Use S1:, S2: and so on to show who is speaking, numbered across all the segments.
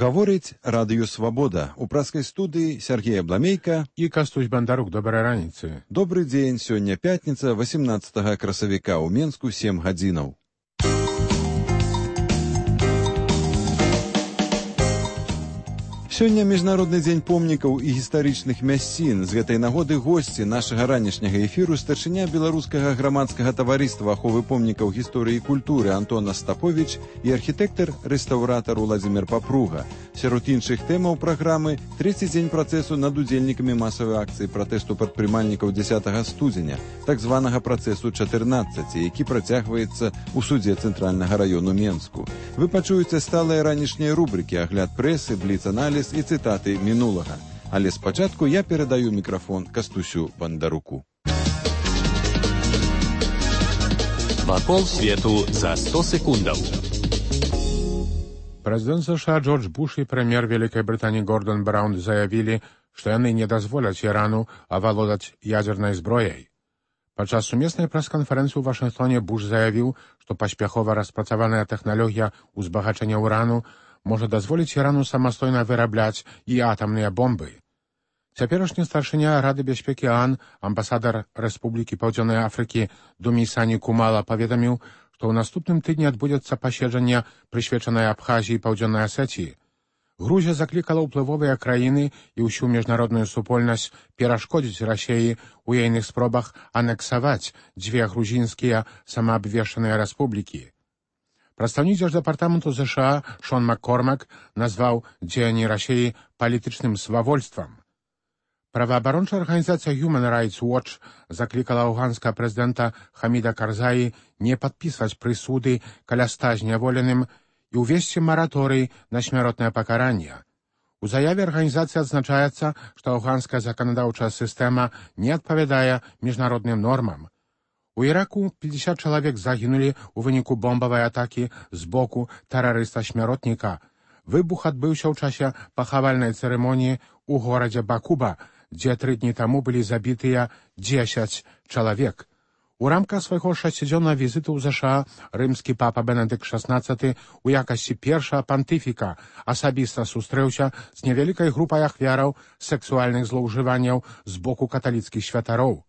S1: Гаворыць Радыё Свабода. У праскай студыі Сергей Абламейка
S2: і Кастусь Бандарук. Добрай раніцы.
S1: Добры дзень. Сёння пятніца, 18 красавіка. У Менску 7 гадзінаў. Сёння Міжнародны дзень помнікаў і гістарычных мясцін. З гэтай нагоды госці нашага ранішняга эфіру старшыня беларускага грамадскага таварыства аховы помнікаў гісторыі і культуры Антон Остапович і архітэктар-рэстаўратар Уладзімір Папруга. Сярод іншых тэмаў праграмы трэці дзень працэсу над удзельнікамі масавай акцыі пратэсту прадпрымальнікаў 10 студзеня, так званага працэсу 14, які працягваецца ў судзе Цэнтральнага раёну Менску. Вы пачуеце сталыя ранішнія рубрыкі, агляд прэсы, бліц-аналіз і цытаты мінулага. Але спачатку я перадаю мікрафон Кастусю Бандаруку.
S3: Вакол свету за 100 секундаў.
S2: Прэзідэнт США Джордж Буш і прэм'ер Вялікай Брытаніі Гордон Браўн заявілі, што яны не дазволяць Ірану авалодаць ядзернай зброяй. Падчас сумеснай прэс-канферэнцыі ў Вашынгтоне Буш заявіў, што паспяхова распрацаваная тэхналогія ўзбагачэння ўрану можа дазволіць Ірану самастойна вырабляць і атамныя бомбы. Цяперашні старшыня Рады бяспекі ААН, амбасадар Рэспублікі Паўдзённай Афрыкі Думісані Кумала паведаміў, што ў наступным тыдні адбудзецца паседжанне, прысвечанае Абхазіі і Паўдзённай Асетіі. Грузія заклікала ўплывовыя краіны і ўсю міжнародную супольнасць перашкодзіць Расіі ў ейных спробах анексаваць дзве грузінскія самаабвешчаныя рэспублікі. Прадстаўнік Дзярждэпартаменту США Шон Маккормак назваў дзеянні Расіі палітычным свавольствам. Праваабарончая арганізацыя Human Rights Watch заклікала афганскага прэзідэнта Хаміда Карзаі не падпісваць прысуды каля 100 зняволеным і ўвесці мараторый на смяротнае пакаранне. У заяве арганізацыі адзначаецца, што афганская заканадаўчая сістэма не адпавядае міжнародным нормам. У Іраку 50 чалавек загінулі ў выніку бомбавай атакі з боку тэрарыста-смяротніка. Выбух адбыўся ў часе пахавальнай цырымоніі ў горадзе Бакуба, дзе 3 дні таму былі забітыя 10 чалавек. У рамках свайго 6-дзённага візіту ў ЗША рымскі папа Бенедыкт XVI у якасці першага пантыфіка асабіста сустрэўся з невялікай групай ахвяраў сексуальных злоўжыванняў з боку каталіцкіх святароў.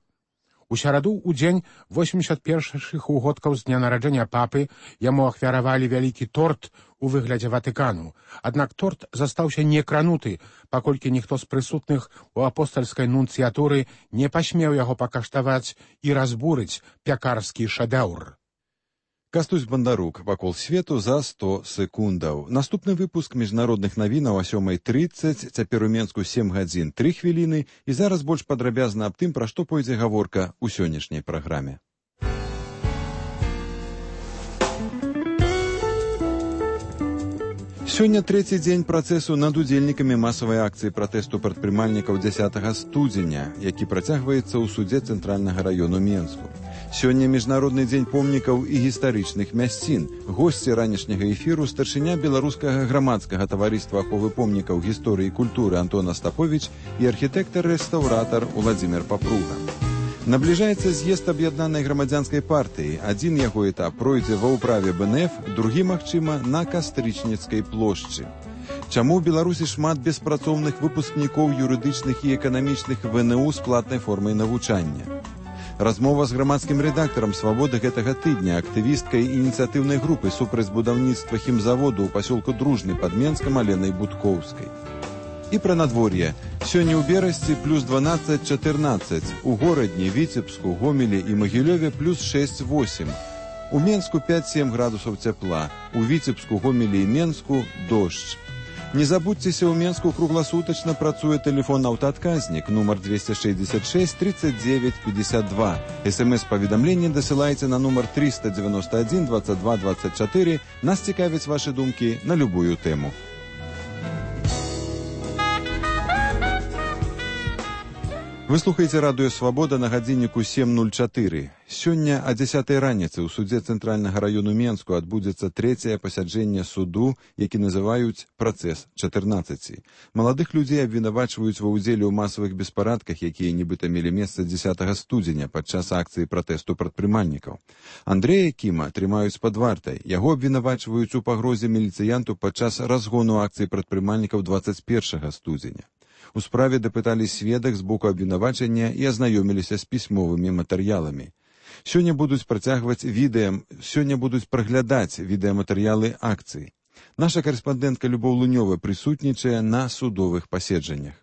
S2: У сераду, у дзень 81-х угодкаў з дня нараджэння папы, яму ахвяравалі вялікі торт у выглядзе Ватыкану. Аднак торт застаўся некрануты, паколькі ніхто з прысутных у апостальскай нунцыятуры не пасмеў яго пакаштаваць і разбурыць пякарскі шэдэўр.
S1: Кастусь Бандарук. Вакол свету за 100 секундаў. Наступны выпуск міжнародных навінаў о 7:30, цяпер у Менску 7 гадзін 3 хвіліны, і зараз больш падрабязна аб тым, пра што пойдзе гаворка ў сённяшняй праграме. Сёння трэці дзень працэсу над удзельнікамі масавай акцыі пратэсту прадпрымальнікаў 10 студзеня, які працягваецца ў судзе Цэнтральнага раёну Менску. Сёння Міжнародны дзень помнікаў і гістарычных мясцін. Госці ранішняга эфіру старшыня беларускага грамадскага таварыства аховы помнікаў гісторыі і культуры Антон Остапович і архітэктар-рэстаўратар Уладзімір Папруга. Набліжаецца з'езд аб'яднанай грамадзянскай партыі. Адзін яго этап пройдзе ва ўправе БНФ, другі, магчыма, на Кастрычніцкай плошчы. Чаму ў Беларусі шмат беспрацоўных выпускнікоў юрыдычных і эканамічных ВНУ з платнай формай навучання? Размова з грамадскім рэдактарам «Свабоды» гэтага тыдня, актывісткай ініцыятыўнай групы супраць будаўніцтва хімзаводу ў пасёлку Дружны пад Менскам Аленай Будкоўскай. І пра надвор'е. Сёння ў Берасці плюс 12-14, у Горадні, Віцебску, Гомелі і Магілёве плюс 6-8. У Менску 5-7 градусаў цяпла, у Віцебску, Гомелі і Менску дождж. Не забудзьцеся, ў Менску кругласутачна працуе тэлефон аўтаадказнік, нумар 266 39 52. СМС-паведамленне дасылайце на нумар 391 22 24. Нас цікавяць вашы думкі на любую тэму. Вы слухаеце радыё «Свабода» на гадзінніку 7:04. Сёння о 10 раніцы ў судзе Цэнтральнага раёну Менску адбудзецца трэцяе пасяджэнне суду, які называюць «Працэс 14». Маладых людзей абвінавачваюць ва ўдзеле ў масавых беспарадках, якія нібыта мелі месца 10 студзеня падчас акцыі пратэсту прадпрымальнікаў. Андрэя Кіма трымаюць пад вартай. Яго абвінавачваюць у пагрозе міліцыянту падчас разгону акцыі прадпрымальнікаў 21 студзеня. У справе дапыталі сведак з боку абвінавачання і азнаёміліся з пісьмовымі матэрыяламі. Сёння будуць праглядаць відэаматэрыялы акцыі. Наша карэспандэнтка Любоў Лунёва прысутнічае на судовых паседжаннях.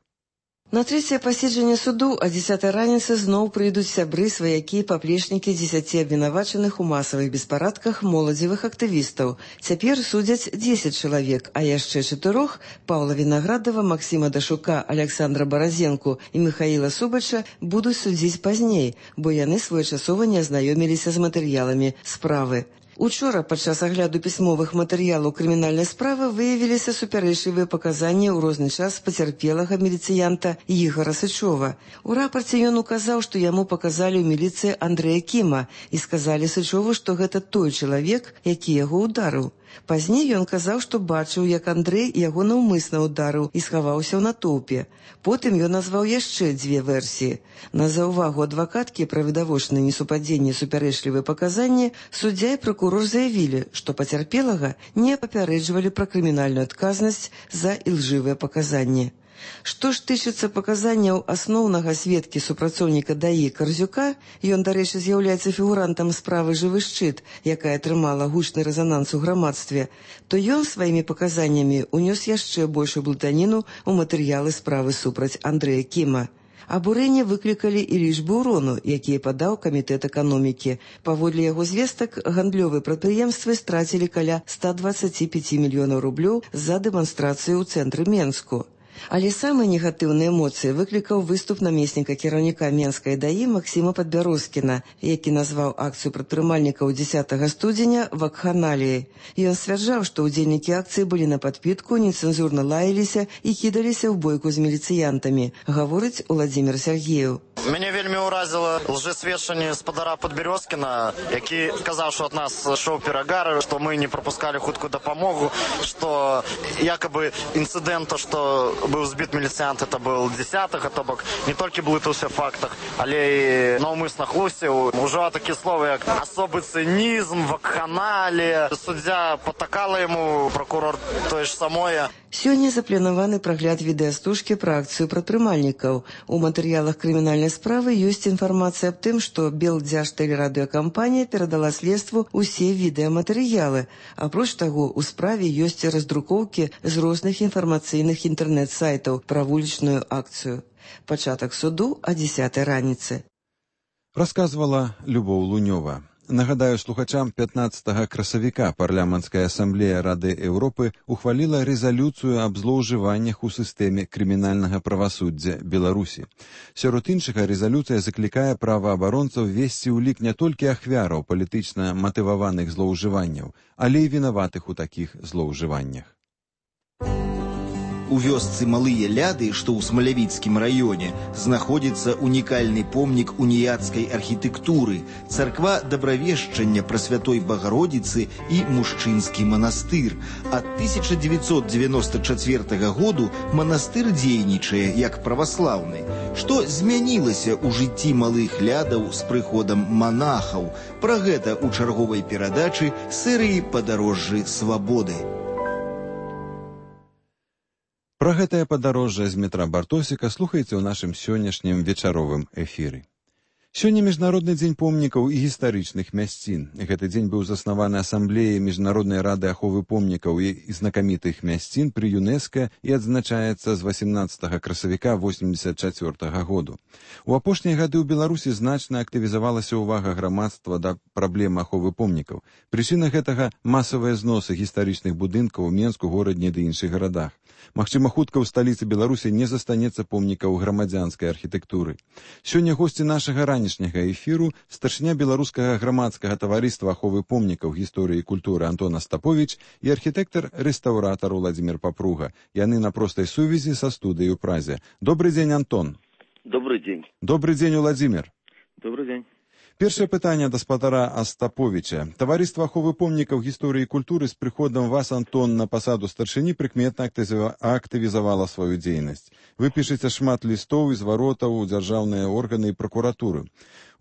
S4: На трэцяе паседжанне суду о 10 раніцы зноў прыйдуць сябры, сваякі, паплечнікі 10 абвінавачаных у масавых беспарадках моладзевых актывістаў. Цяпер судзяць 10 чалавек, а яшчэ 4 Паўла Вінаградова, Максіма Дашука, Александра Баразенку і Михаіла Субача будуць судзіць пазней, бо яны своечасова не азнаёміліся з матэрыяламі справы. Учора падчас агляду пісьмовых матэрыялаў крымінальнай справы выявіліся супярэчлівыя паказанні ў розны час пацярпелага міліцыянта Ігора Сычова. У рапарце ён указаў, што яму паказалі ў міліцыі Андрэя Кіма і сказалі Сычову, што гэта той чалавек, які яго ударыў. Пазней ён казаў, што бачыў, як Андрэй яго наўмысна ударыў і схаваўся ў натоўпе. Потым ён назваў яшчэ 2 версіі. На заўвагу адвакаткі пра відавочнае несупадзенне супярэчлівыя паказанні суддзя і пракурор заявілі, што пацярпелага не папярэджвалі пра крымінальную адказнасць за ілжывыя паказанні. Што ж тычыцца паказанняў асноўнага сведкі супрацоўніка ДАІ Карзюка, ён, дарэчы, з'яўляецца фігурантам справы «Жывы шчыт», якая атрымала гучны рэзананс у грамадстве, то ён сваімі паказаннямі унёс яшчэ большую блытаніну ў матэрыялы справы супраць Андрэя Кіма. Абурэнне выклікалі і лічбы ўрону, якія падаў камітэт эканомікі. Паводле яго звестак, гандлёвыя прадпрыемствы страцілі каля 125 мільёнаў рублёў за дэманстрацыю ў цэнтры Менску. Але самыя негатыўныя эмоцыі выклікаў выступ намесніка кіраўніка Менскай ДАІ Максіма Падбярозкіна, які назваў акцыю прадпрымальнікаў 10 студзеня вакханаліяй. Ён сцвярджаў, што ўдзельнікі акцыі былі на падпітку, нецэнзурна лаяліся і кідаліся ў бойку з міліцыянтамі, гаворыць Уладзімір Сергеев.
S5: Мяне вельмі ўразіла лжэсведчанне спадара Падбярозкіна, які сказаў, што ад нас шоў перагар, што мы не прапускалі хуткую дапамогу, што якабы інцыдэнта, што быў збіт міліцыянт, это был 10-га, то бок не толькі блытаўся в фактах, але і наўмысна хлусіў. Ужо такія словы, як асобы цынізм, вакханалія. Суддзя патакала яму, пракурор тое ж самое.
S4: Сёння запланаваны прагляд відэастужкі пра акцыю прадпрымальнікаў. У матэрыялах крымінальнай справы ёсць інфармацыя аб тым, што Белдзяжтэлерадыёкампанія перадала следству ўсе відэаматэрыялы. Апроч таго, у справе ёсць раздрукоўкі з розных інфармацыйных інтэрнэт-сайтаў пра вулічную акцыю. Пачатак суду о 10 раніцы.
S1: Расказвала Любоў Лунёва. Нагадаю слухачам, 15 красавіка Парламенцкая асамблея Рады Еўропы ухваліла рэзалюцыю аб злоўжываннях у сістэме крымінальнага правасуддзя Беларусі. Сярод іншага, рэзалюцыя заклікае праваабаронцаў весці ў лік не толькі ахвяраў палітычна матываваных злоўжыванняў, але і вінаватых у такіх злоўжываннях.
S6: У вёсцы Малыя Ляды, што ў Смалявіцкім раёне, знаходзіцца унікальны помнік уніяцкай архітэктуры, царква Дабравешчання Прасвятой Багародзіцы і мужчынскі манастыр. Ад 1994 году манастыр дзейнічае як праваслаўны. Што змянілася ў жыцці Малых Лядаў з прыходам манахаў? Пра гэта ў чарговай перадачы серыі «Падарожжы свабоды».
S1: Пра гэтае падарожжа з метра Бартосіка слухайце ў нашым сённяшнім вечаровым эфіры. Сёння Міжнародны дзень помнікаў і гістарычных мясцін. Гэты дзень быў заснаваны Асамблеяй Міжнароднай рады аховы помнікаў і знакамітых мясцін пры ЮНЕСКА і адзначаецца з 18 красавіка 1984 году. У апошнія гады ў Беларусі значна актывізавалася ўвага грамадства да праблем аховы помнікаў. Прычына гэтага – масавыя зносы гістарычных будынкаў у Менску, горадні ды іншых гарадах. Магчыма, хутка ў сталіцы Беларусі не застанецца помнікаў грамадзянскай архітэктуры. Сёння госці нашага ранішняга эфіру старшыня беларускага грамадскага таварыства аховы помнікаў гісторыі і культуры Антон Астаповіч і архітэктар-рэстаўратар Уладзімір Папруга. Яны на простай сувязі са студыяй у Празе. Добрый дзень, Антон.
S7: Добрый день.
S1: Добрый день, Владимир.
S7: Добрый день.
S1: Першае пытанне да спадара Астаповіча. Таварыства аховы помнікаў гісторыі і культуры з прыходам вас, Антон, на пасаду старшыні прыкметна актывізавала сваю дзейнасць. Вы пішаце шмат лістоў і зваротаў у дзяржаўныя органы і пракуратуры.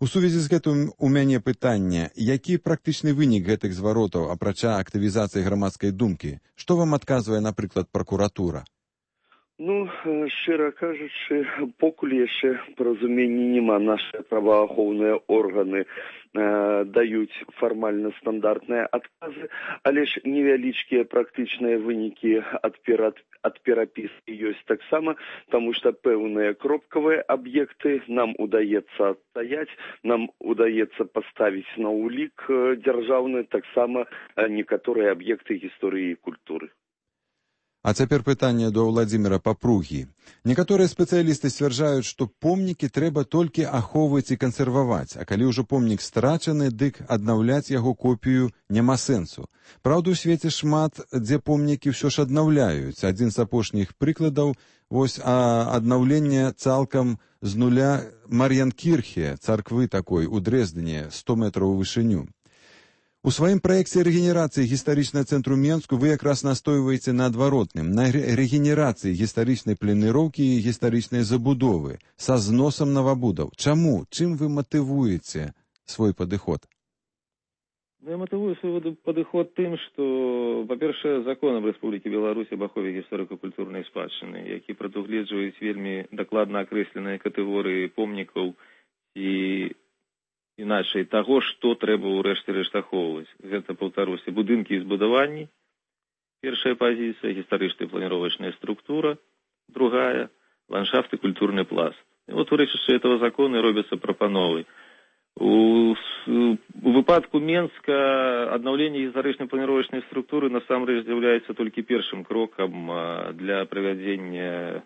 S1: У сувязі з гэтым у мяне пытанне, які практычны вынік гэтых зваротаў, апрача актывізацыі грамадскай думкі? Што вам адказвае, напрыклад, пракуратура?
S7: Ну, шчыра кажучы, покуль яшчэ паразумення няма. Нашы праваахоўныя органы даюць фармальна стандартныя адказы, але ж невялічкія практычныя вынікі ад перапіскі ёсць таксама, таму што пэўныя кропкавыя аб'екты нам удаецца адстаяць, нам удаецца паставіць на ўлік дзяржаўны, таксама некаторыя аб'екты гісторыі і культуры.
S1: А цяпер пытанне да Владзіміра Папругі. Некаторыя спецыялісты сцвярджаюць, што помнікі трэба толькі ахоўваць і кансерваваць, а калі ўжо помнік страчаны, дык аднаўляць яго копію няма сэнсу. Праўда, у свеце шмат, дзе помнікі ўсё ж аднаўляюць. Адзін з апошніх прыкладаў вось аднаўленне цалкам з нуля Мар'янкірхе, царквы такой у Дрэздзене, 100 метраў у вышыню. У сваім праекце рэгенерацыі гістарычнага цэнтру Менску вы якраз настойваеце на адваротным, на рэгенерацыі гістарычнай планіроўкі і гістарычнай забудовы са зносам новабудаў. Чаму? Чым вы матывуеце свой падыход?
S8: Я матывую свой падыход тым, што, па-першае, законам Рэспублікі Беларусь об ахове гісторыка-культурнай спадчыны, які прадугледжваюць вельмі дакладна акрэсленыя катэгорыі помнікаў і іначай таго, што трэба ўрэшце рэшт ахоўваць. Гэта, паўтаруся, будынкі і збудаванні. Першая пазіцыя, гістарычная планіровачная структура. Другая, ландшафт і культурны пласт. І от у рэчышчы этого закона робяцца прапановы. У выпадку Менска аднаўленне гістарычнай планіровачнай структуры насамрэч з'яўляецца толькі першым крокам для правядзення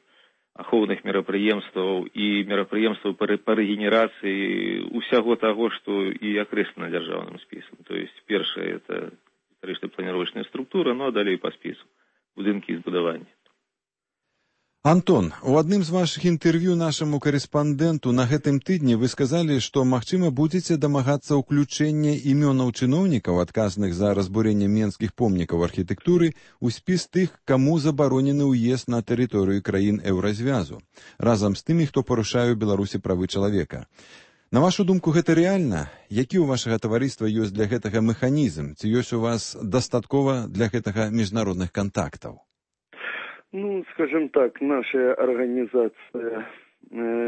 S8: ахоўных мерапрыемстваў і мерапрыемстваў па рэгенерацыі усяго таго, што і акрэслена дзяржаўным спісам. То есть першае это гістарычная планіровачная структура, ну а далей па спісу будынкі і збудаванні.
S1: Антон, у адным з вашых інтэрв'ю нашаму карэспандэнту на гэтым тыдні вы сказалі, што, магчыма, будзеце дамагацца ўключэння імёнаў чыноўнікаў, адказных за разбурэнне менскіх помнікаў архітэктуры, у спіс тых, каму забаронены ўезд на тэрыторыю краін Еўразвязу, разам з тымі, хто парушае ў Беларусі правы чалавека. На вашу думку, гэта рэальна? Які ў вашага таварыства ёсць для гэтага механізм? Ці ёсць у вас дастаткова для гэтага міжнародных кантактаў?
S7: Ну, скажем так, наша организация,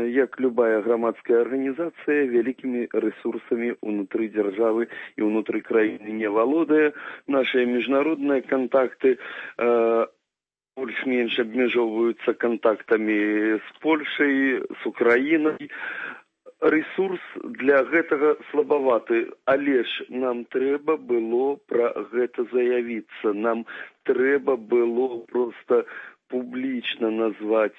S7: як любая громадская организация, великими ресурсами внутри державы и внутри краины не валодая. Наши международные контакты больш-менш обмежовываются контактами с Польшей, с Украиной. Ресурс для гэтага слабаваты, але ж нам трэба было пра гэта заявіцца. Нам трэба было просто публічна назваць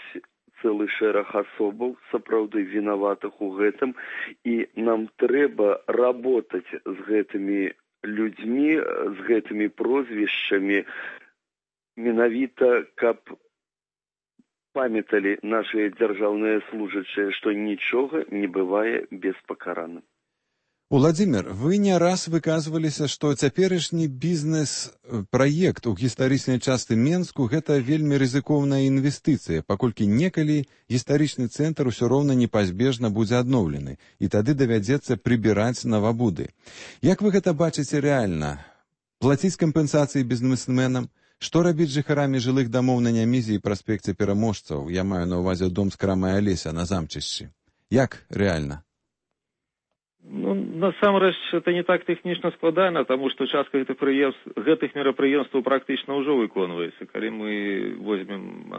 S7: цэлы шэраг асобаў, сапраўды вінаватых у гэтым, і нам трэба работаць з гэтымі людзьмі, з гэтымі прозвішчамі, менавіта, каб памяталі нашыя дзяржаўныя служачыя, што нічога не бывае беспакараным.
S1: Владзімір, вы не раз выказваліся, што цяперашні бізнес-праект у гістарычнай частцы Менску гэта вельмі рызыкоўная інвестыцыя, паколькі некалі гістарычны цэнтр усё роўна непазбежна будзе адноўлены, і тады давядзецца прыбіраць новабуды. Як вы гэта бачыце рэальна? Плаціць кампенсацыі бізнесменам? Што рабіць з жыхарамі жылых дамоў на Нямізе і праспекце Пераможцаў? Я маю на ўвазе дом з крамай Алеся на Замчышчы. Як рэальна?
S8: Ну, насамрэч, это не так тэхнічна складана, таму што частка гэтых мерапрыемстваў практычна ўжо выконваецца. Калі мы возьмем,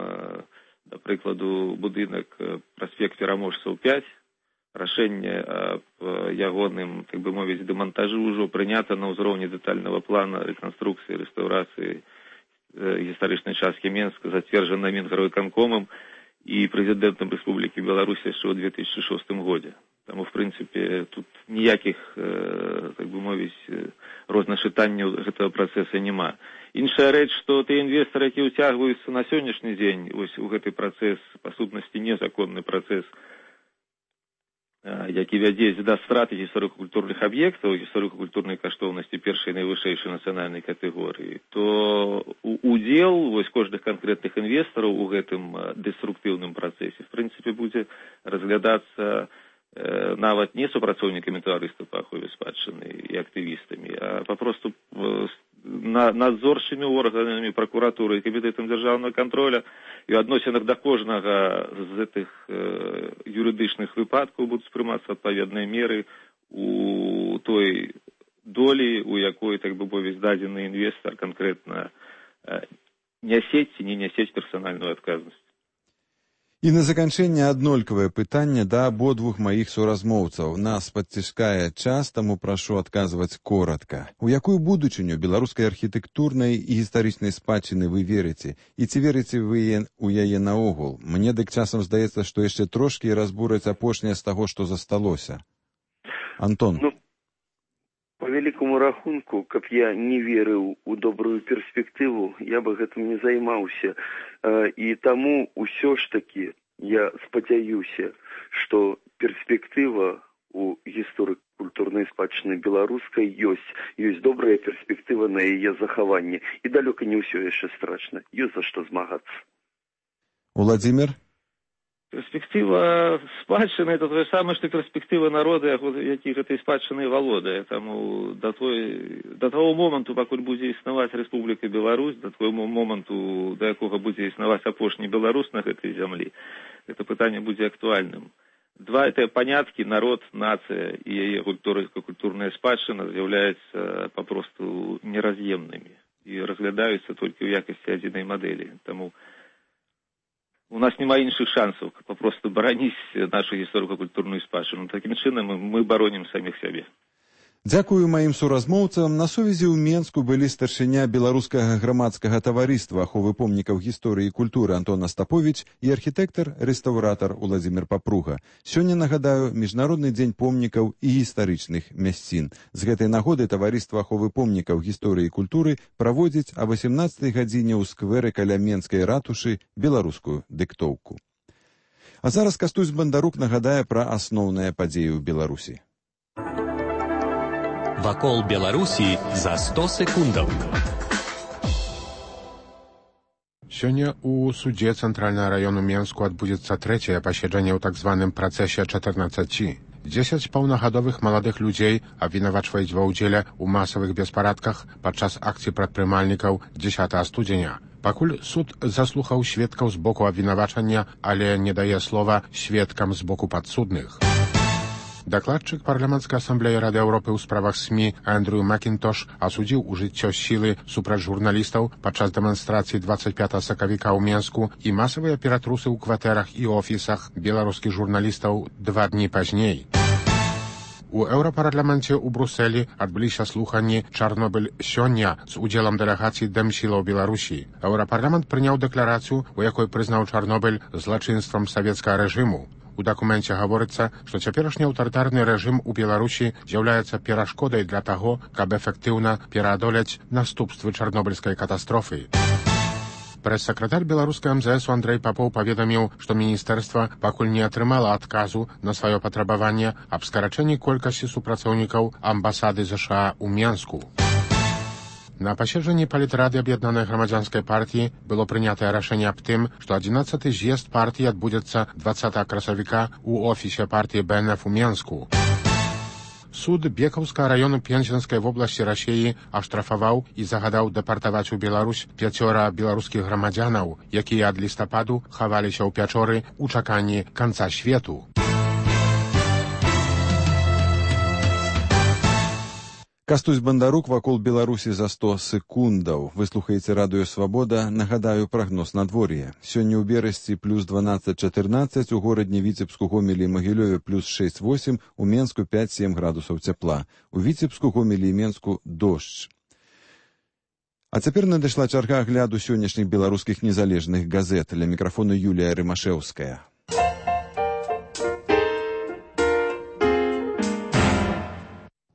S8: да прыкладу, будынак праспект Пераможцаў 5, рашэнне аб ягоным, так бы мовіць, дэмантажы ўжо прынята на ўзроўні дэтальнага плана рэканструкцыі, рэстаўрацыі гістарычнай часткі Менска, зацверджана Мінгарвыканкомам і прэзідэнтам Рэспублікі Беларусь яшчэ ў 2006 годзе. Таму, в прынцыпе, тут ніякіх, так бы мовіць, розначытанняў гэтага працэса няма. Іншая рэч, што тыя інвестары, які ўцягваюцца на сённяшні дзень вось у гэты працэс, па сутнасці незаконны працэс які вядзе да страты гісторыка-культурных аб'ектаў, гісторыка-культурнай каштоўнасці першай найвышэйшай нацыянальнай катэгорыі, то удзел кожных канкрэтных інвестараў у гэтым дэструктыўным працэсе, в прынцыпе, будзе разглядацца нават не супрацоўнікамі таварыства па ахове спадчыны і актывістамі, а папросту надзорчымі органамі пракуратуры і камітэтам дзяржаўнага контроля, і ў адносінах да кожнага з гэтых юрыдычных выпадкаў будуць прымацца адпаведныя меры у той долі, у якой, так бы мовіць, дадзены інвестар канкрэтна нясець ці не нясець персанальную адказнасць.
S1: І на заканчэнне аднолькавае пытанне да абодвух маіх суразмоўцаў. Нас падціскае час, таму прашу адказваць коратка. У якую будучыню беларускай архітэктурнай і гістарычнай спадчыны вы верыце? І ці верыце вы у яе наогул? Мне дык часам здаецца, што яшчэ трошкі разбураць апошняе з таго, што засталося. Антон.
S7: По вялікаму рахунку, каб я не верыў у добрую перспектыву, я бы гэтым не займаўся. І таму ўсё ж такі я спадзяюся, што перспектыва у гісторыка-культурнай спадчыны беларускай ёсць добрая перспектыва на яе захаванне. І далёка не ўсё яшчэ страшна. Ёсць за што змагацца.
S1: Уладзімир?
S8: Перспектыва спадчыны – это тое самае, што перспектыва народа, які гэтай спадчынай валодае. Таму да таго моманту, пакуль будзе існаваць Рэспубліка Беларусь, да таго моманту, да якога будзе існаваць апошні беларус на гэтай зямлі, гэта пытанне будзе актуальным. Два гэтыя паняткі, народ, нацыя і яе культурная спадчына з'яўляюцца папросту нераз'емнымі і разглядаюцца толькі ў якасці адзінай мадэлі. Таму у нас няма іншых шансаў папросту бараніць нашу гісторыка-культурную спадчыну. Такім чынам мы баронім саміх сябе.
S1: Дзякую маім суразмоўцам. На сувязі ў Менску былі старшыня беларускага грамадскага таварыства аховы помнікаў гісторыі і культуры Антон Астаповіч і архітэктар-рэстаўратар Уладзімир Папруга. Сёння, нагадаю, Міжнародны дзень помнікаў і гістарычных мясцін. З гэтай нагоды таварыства аховы помнікаў гісторыі і культуры праводзіць о 18 гадзіне ў скверы каля Менскай ратушы беларускую дыктоўку. А зараз Кастусь Бандарук нагадае пра асноўныя падзеі ў Беларусі.
S3: Вакол Беларусі за 100 секундаў.
S2: Сёння у судзе Цэнтральнага раёну Менску адбудзецца трэцяе паседжанне ў так званым працэсе 14. 10 паўнагадовых маладых людзей абвінавачваюць ва ўдзеле ў масавых беспарадках падчас акцыі прадпрымальнікаў 10 студзеня. Пакуль суд заслухаў сведкаў з боку абвінавачання, але не дае слова сведкам з боку падсудных. Дакладчык парламенцкай асамблеі Рады Еўропы ў справах СМІ Андрю Макінтош асудзіў ужыццё сілы супраць журналістаў падчас дэманстрацыі 25 сакавіка ў Менску і масавыя ператрусы ў кватэрах і офісах беларускіх журналістаў 2 дні пазней. У Еўрапарламенце ў Брусэлі адбыліся слуханні «Чарнобыль сёння» з удзелам дэлегацыі дэмсілаў Беларусі. Еўрапарламент прыняў дэкларацыю, у якой прызнаў Чарнобыль злачынствам савецкага рэжыму. У дакуменце гаворыцца, што цяперашні аўтарытарны рэжым у Беларусі з'яўляецца перашкодай для таго, каб эфектыўна пераадолець наступствы чарнобыльскай катастрофы. Прэс-сакратар беларускай МЗС Андрэй Папоў паведаміў, што міністэрства пакуль не атрымала адказу на сваё патрабаванне аб скарачэнні колькасці супрацоўнікаў амбасады ЗША ў Менску. На паседжанні палітрады аб'яднанай грамадзянскай партыі было прынятае рашэнне аб тым, што 11-й з'езд партыі адбудзецца 20 красавіка ў офісе партыі БНФ у Менску. Суд Бекаўскага раёну Пензенскай вобласці Расіі аштрафаваў і загадаў дэпартаваць у Беларусь 5 беларускіх грамадзянаў, якія ад лістападу хаваліся ў пячоры ў чаканні канца свету.
S1: Кастусь Бандарук вакол Беларусі за 100 секундаў. Вы слухаеце радыё Свабода. Нагадаю прагноз надвор'я. Сёння ў Берасці плюс 12-14, у горадні Віцебску, Гомелі і Магілёве плюс 6-8, у Менску 5-7 градусаў цяпла. У Віцебску, Гомелі і Менску дождж. А цяпер надышла чарга агляду сённяшніх беларускіх незалежных газет. Ля мікрафону Юлія Рымашэўская.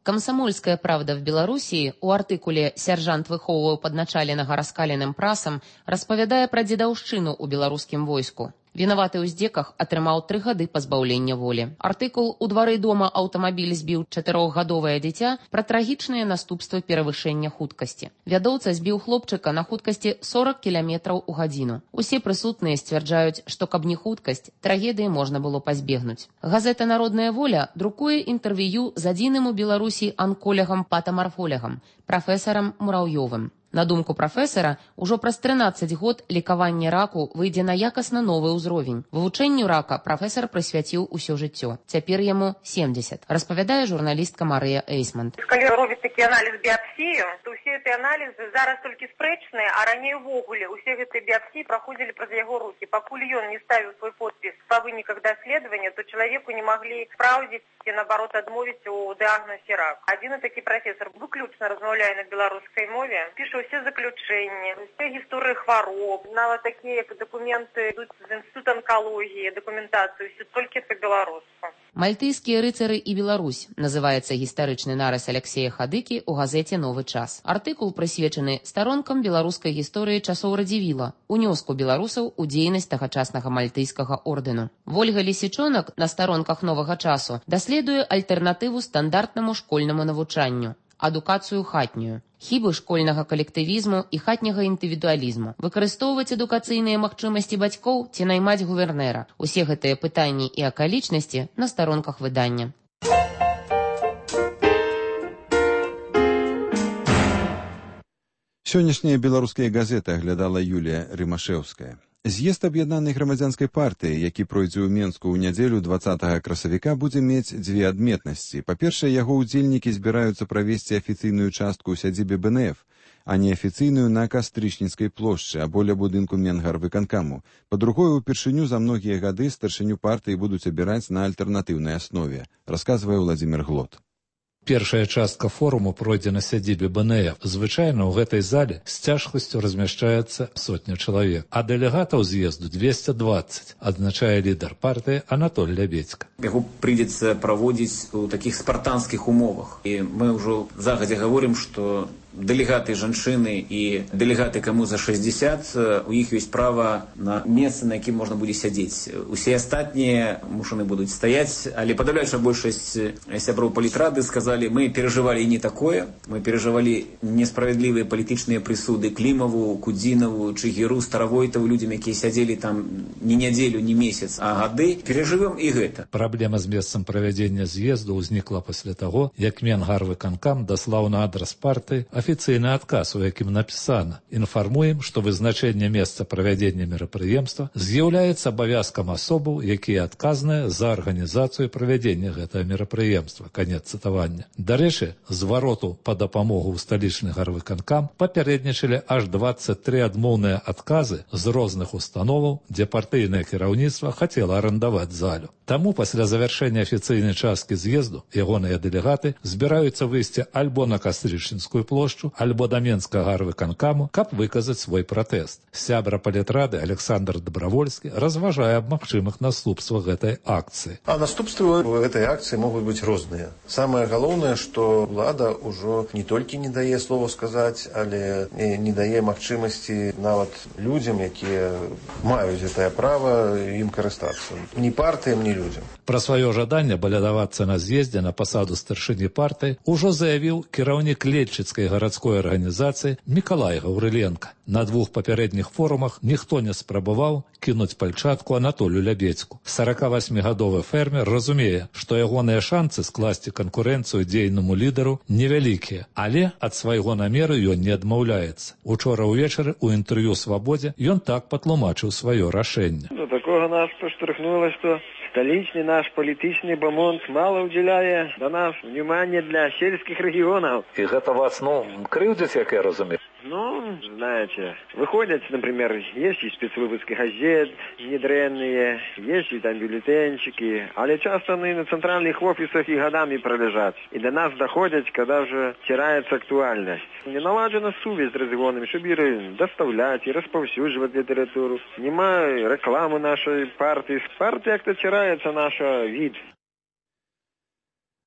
S9: «Комсомольская правда» в Белоруссии у артыкуле «Сержант выхоўваў падначаленага раскаленым прасам» распавядае пра дзедаўшчыну ў беларускім войску. Вінаваты ў здзеках атрымаў 3 гады пазбаўлення волі. Артыкул «У двары дома аўтамабіль збіў 4гадовае дзіця» пра трагічныя наступствы перавышэння хуткасці. Вядоўца збіў хлопчыка на хуткасці 40 км у гадзіну. Усе прысутныя сцвярджаюць, што каб не хуткасць, трагедыі можна было пазбегнуць. Газета «Народная воля» друкуе інтэрв'ю з адзіным у Беларусі анколягам-патамарфолягам, прафесарам Мураўёвым. На думку прафесара, ужо праз 13 год лікаванне раку выйдзе на якасна новы ўзровень. Вывучэнню рака прафесар прысвяціў усё жыццё. Цяпер яму 70, распавядае журналістка Марыя Эйсманд.
S10: Калі робіць такі аналіз біапсію, то ўсе гэтыя аналізы зараз толькі спрэчныя, а раней увогуле усе гэтыя біапсіі праходзілі праз яго рукі. Пакуль ён не ставіў свой подпіс па выніках даследавання, то чалавеку не маглі спраўдзіць ці, наоборот, адмовіць у дыагнозе рак. Адзін такі прафесар выключна размаўляе на беларускай мове, піша ўсе заключэнні, усе гісторыі хвароб, нават такія, як дакументы ідуць з інстытута онкалогіі, дакументацыю, ўсё толькі па-беларуску.
S9: «Мальтыйскія рыцары і Беларусь» называецца гістарычны нарыс Аляксея Хадыкі ў газеце «Новы час». Артыкул прысвечаны старонкам беларускай гісторыі часоў Радзівіла, унёску беларусаў у дзейнасць тагачаснага мальтыйскага ордэну. Вольга Лісічонак на старонках «Новага часу» даследуе альтэрнатыву стандартнаму школьнаму навучанню – адукацыю хатнюю, хібы школьнага калектывізму і хатняга індывідуалізму, выкарыстоўваць адукацыйныя магчымасці бацькоў ці наймаць гувернэра. Усе гэтыя пытанні і акалічнасці на старонках выдання.
S1: Сённяшнія беларускія газеты аглядала Юлія Рымашэўская. З'езд аб'яднанай грамадзянскай партыі, які пройдзе ў Менску ў нядзелю 20 красавіка, будзе мець 2 адметнасці. Па-першае, яго ўдзельнікі збіраюцца правесці афіцыйную частку ў сядзібе БНФ, а не афіцыйную на Кастрычніцкай плошчы або ля будынку Менгарвыканкаму. Па-другое, упершыню за многія гады старшыню партыі будуць абіраць на альтэрнатыўнай аснове, расказвае Владзімір Глот.
S11: Першая частка форуму пройдзе на сядзібе БНФ. Звычайна ў гэтай зале з цяжкасцю размяшчаецца 100 чалавек, а дэлегатаў з'езду 220, адзначае лідар партыі Анатоль Лябедзька.
S12: Яго прыйдзецца праводзіць у такіх спартанскіх умовах. І мы ўжо загадзя гаворым, што дэлегаты жанчыны і дэлегаты каму за 60, у іх ёсць права на месца, на якім можна будзе сядзець. Усе астатнія мушаны будуць стаяць, але падаўляючая большасць сяброў палітрады сказалі, мы перажывалі не такое, мы перажывалі несправядлівыя палітычныя прысуды Клімаву, Кудзінаву, Чыгіру, Старавойтаву, людзям, якія сядзелі там не нядзелю, не месяц, а гады. Перажывем і гэта.
S11: Праблема з месцам правядзення з'езду ўзнікла пасля таго, як Менгарвыканкам даслаў на адрас партыі афіцыйны адказ, у якім напісана: інфармуем, што вызначэнне месца правядзення мерапрыемства з'яўляецца абавязкам асобаў, якія адказныя за арганізацыю правядзення гэтага мерапрыемства. Канец цытавання. Дарэчы, звароту па дапамогу ў сталічны гарвыканкам папярэднічалі аж 23 адмоўныя адказы з розных установаў, дзе партыйнае кіраўніцтва хацела арандаваць залю. Таму пасля завяршэння афіцыйнай часткі з'езду ягоныя дэлегаты збіраюцца выйсці альбо на Кастрычніцкую плошчу, альбо да Менскага гарвыканкаму, каб выказаць свой пратэст. Сябра палітрады Александр Дабравольскі разважае аб магчымых наступствах гэтай акцыі.
S13: А наступствы гэтай акцыі могуць быць розныя. Самае галоўнае, што ўлада ўжо не толькі не дае слова сказаць, але не дае магчымасці нават людзям, якія маюць гэтае права, ім карыстацца. Ні партыям, ні людзям.
S11: Пра сваё жаданне балядавацца на з'ездзе на пасаду старшыні партыі ужо заявіў кіраўнік Лельчыцкай гарадской арганізацыі Мікалай Гаўрыленка. На 2 папярэдніх форумах ніхто не спрабаваў кінуць пальчатку Анатолю Лябедзьку. 48-гадовы фермер разумее, што ягоныя шанцы скласці канкурэнцыю дзейнаму лідару невялікія, але ад свайго намеру ён не адмаўляецца. Учора ўвечары ў інтэрв'ю «Свабодзе» ён так патлумачыў сваё рашэнне.
S14: До такого нас паштрыхнула, што столичный наш политичный бомонд мало уделяет до нас внимания для сельских регионов.
S15: И это вас, крывдит, как я разумею?
S14: Знаете, выходят, например, есть и спецвыпуски газет недренные, есть и там бюллетенчики, але часто они на центральных офисах и годами пролежат. И до нас доходят, когда уже теряется актуальность. Не налажена связь с регионами, чтобы их доставлять и распаўсюдживать литературу. Нема рекламы нашей партии. Партия как-то теряется наша вид.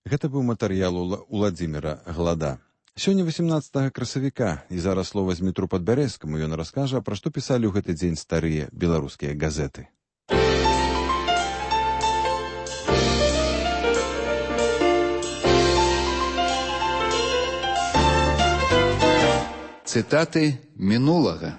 S1: Гэта быў матэрыял Уладзіміра Глада. Сёння 18 красавіка, і зараз слова з Дмітру Падбярэзскаму ён раскажа, пра што пісалі ў гэты дзень старыя беларускія газеты.
S16: Цытаты мінулага.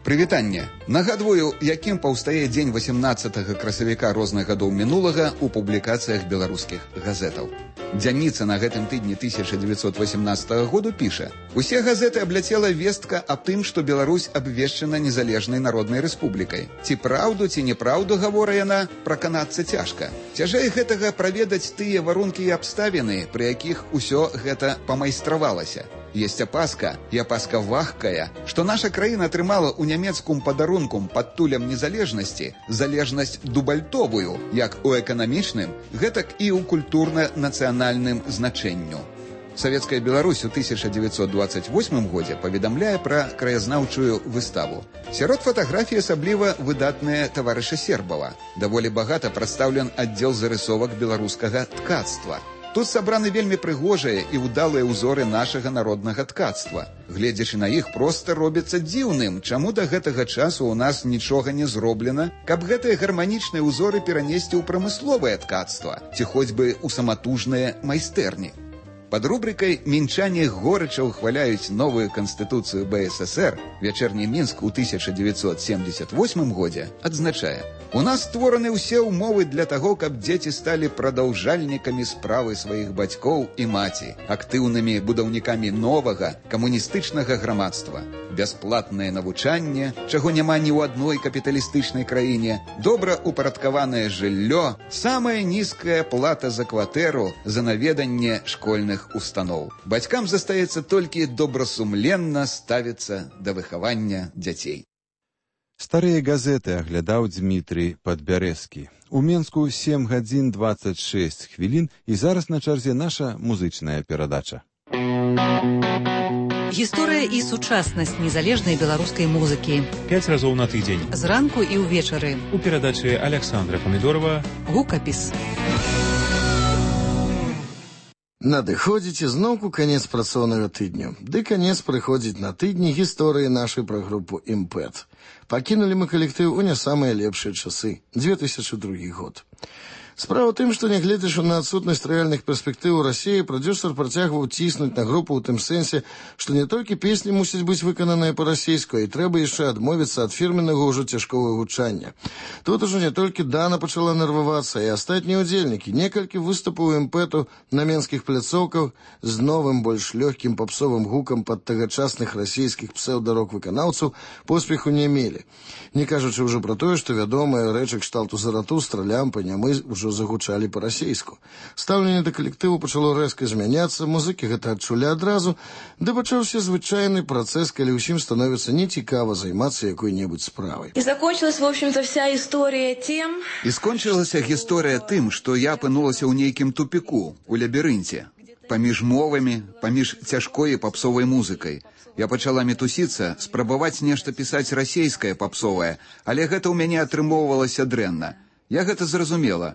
S16: Прывітанне. Нагадваю, якім паўстае дзень 18 красавіка розных гадоў мінулага ў публікацыях беларускіх газетаў. Дзянніца на гэтым тыдні 1918 году піша: «Усе газеты абляцела вестка аб тым, што Беларусь абвешчана незалежнай народнай рэспублікай. Ці праўду, ці неправду, гавора яна, праканацца цяжка. Цяжэй гэтага праведаць тыя варункі і абставіны, пры якіх усё гэта памайстравалася. Есть опаска, і опаска вагкая, што наша краіна атрымала ў нямецкум падарункум пад тулем незалежнасці залежнасць дубальтовую, як у эканамічным, гэтак і ў культурна-нацыянальным значэнню». Савецкая Беларусь у 1928 годзе паведамляе пра краязнаўчую выставу. Сярод фатаграфій асабліва выдатныя таварыша Сербава. Даволі багата прадстаўлен аддзел зарысовак беларускага ткацтва. Тут сабраны вельмі прыгожыя і ўдалыя ўзоры нашага народнага ткацтва. Гледзячы на іх, проста робіцца дзіўным, чаму да гэтага часу ў нас нічога не зроблена, каб гэтыя гарманічныя ўзоры перанесці ў прамысловае ткацтва, ці хоць бы ў саматужныя майстэрні. Пад рубрикай «Мінчане горача ўхваляюць новую канстытуцыю БССР» «Вечерний Мінск» у 1978 годзе адзначае: «У нас створаны ўсе ўмовы для таго, каб дзеці сталі прадаўжальнікамі справы сваіх бацькоў і маці, актыўнымі будаўнікамі новага камуністычнага грамадства. Бясплатнае навучанне, чаго няма ні ў адной капіталістычнай краіне, добра упарадкаванае жыллё, самая нізкая плата за кватэру за наведанне школьных устаноў. Бацькам застаецца толькі добрасумленна ставіцца да выхавання дзяцей».
S1: Старыя газеты аглядаў Дмітрий Падбярэзкі. У Менску 7 гадзін 26 хвілін, і зараз на чарзе наша музычная перадача.
S17: Гісторыя і сучаснасць незалежнай беларускай музыкі.
S18: 5 разоў на тыдзень.
S17: Зранку і ўвечары.
S18: У перадачы Александра Памідорова
S17: «Гукапіс».
S19: Надыходзіць зноўку канец працоўнага тыдню. Ды канец прыходзіць на тыдні гісторыі нашай пра групу «Імпэт». Пакінулі мы калектыў у не самыя лепшыя часы, 2002 год. Справа ў тым, што нягледзячы на адсутнасць рэальных перспектыў у Расіі, прадзюсар працягваў ціснуць на групу ў тым сэнсе, што не толькі песні мусяць быць выкананыя па-расійску, а і трэба яшчэ адмовіцца ад фірменнага ўжо цяжкога гучання. Тут ужо не толькі Дана пачала нервавацца, і астатнія ўдзельнікі. Некалькі выступаў імпэту на менскіх пляцоўках з новым, больш лёгкім папсовым гукам пад тагачасных расійскіх псеўдарок-выканаўцаў поспеху не мелі. Не кажучы ўжо пра тое, што вядомыя рэчы кшталту Заратустра, Лямпа, Нямы ўжо загучалі па-расейску. Стаўленне да калектыву пачало рэзка змяняцца, музыкі гэта адчулі адразу, да пачаўся звычайны працэс, калі ўсім становіцца нецікава займацца якой-небудзь справай.
S20: И закончилась, в общем-то, вся история тем...
S16: І скончылася гісторыя тым, што я апынулася ў нейкім тупіку, у лабірынце, паміж мовамі, паміж цяжкой і папсовай музыкай. Я пачала мітусіцца, спрабаваць нешта пісаць расейскае папсовае, але гэта ў мяне атрымоўвалася дрэнна. Я гэта зразумела.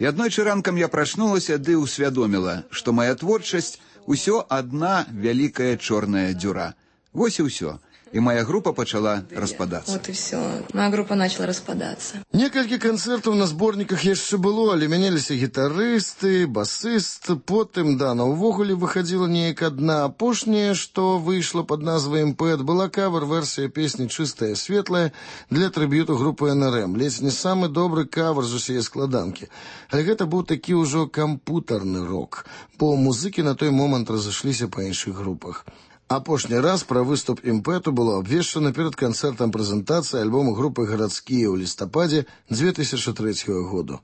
S16: І аднойчы ранкам я прачнулася ды ўсвядоміла, што моя творчасць усё адна вялікая чорная дзюра. Вось і ўсё. І моя група пачала распадацца.
S20: Вот и все. Моя группа начала распадаться.
S19: Некалькі канцэртаў на зборніках яшчэ было, але мяняліся гітарысты, басыст, потым Дана ўвогуле выхадзіла неяк адна. Апошняе, што выйшла пад назвай «Імпэт», была кавер-версія песні «Чыстая светлая» для трыб'юту групы НРМ. Ледзь не самы добры кавер з усяе складанкі. Але гэта быў такі ўжо кампутарны рок, бо музыкі на той момант разышліся па іншых групах. Апошні раз пра выступ «Імпэту» было абвешчана перад канцэртам прэзентацыі альбому групы «Гарадскія» ў лістападзе 2003 году.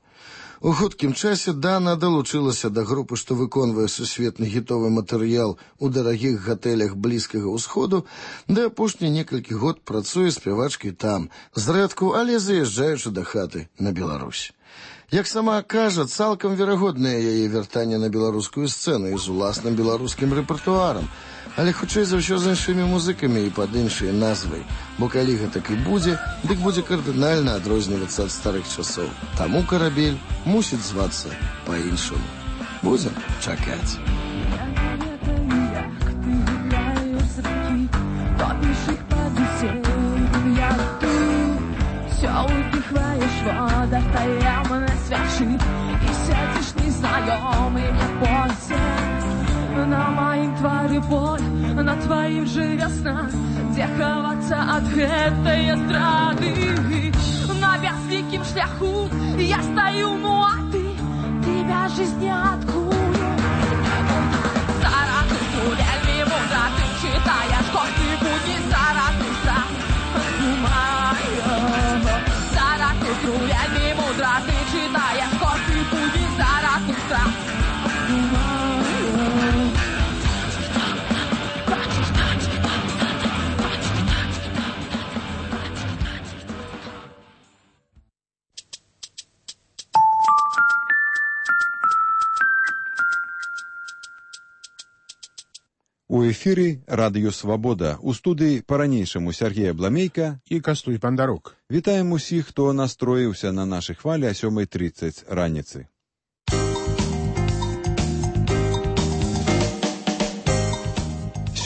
S19: У хуткім часе Дана далучылася да групы, што выконвае сусветны гітовы матэрыял у дарагіх гатэлях Блізкага ўсходу, да апошні некалькі год працуе спявачкай там, зрэдку, але заязджаючы да хаты на Беларусь. Як сама кажа, цалкам верагоднае яе вяртанне на беларускую сцэну і з уласным беларускім рэпертуарам, але хутчэй за ўсё з іншымі музыкамі і пад іншай назвай, бо калі гэтак і будзе, дык будзе кардынальна адрознівацца ад старых часоў. Таму карабель мусіць звацца па-іншаму. Будзем чакаць.
S21: Достаем на свящи, и сядешь незнакомый, не бойся. і боль на тваім жыве снах, дзе хавацца ад гэтай страты. На бязвікім шляху я стаю, ну а ты бяжыш ніадкуль. Зараз ты вельмі мудра, ты чытаеш кожны будні, зараз ты сам думаеш. Зараз ты вельмі мудра, ты чытаеш кожны будні, зараз ты сам думаеш.
S1: У эфіры радыё «Свабода». У студыі па-ранейшаму Сергей Абламейка
S2: і Кастуй Бандарук.
S1: Вітаем усіх, хто настроіўся на нашы хвалі о 7:30 раніцы.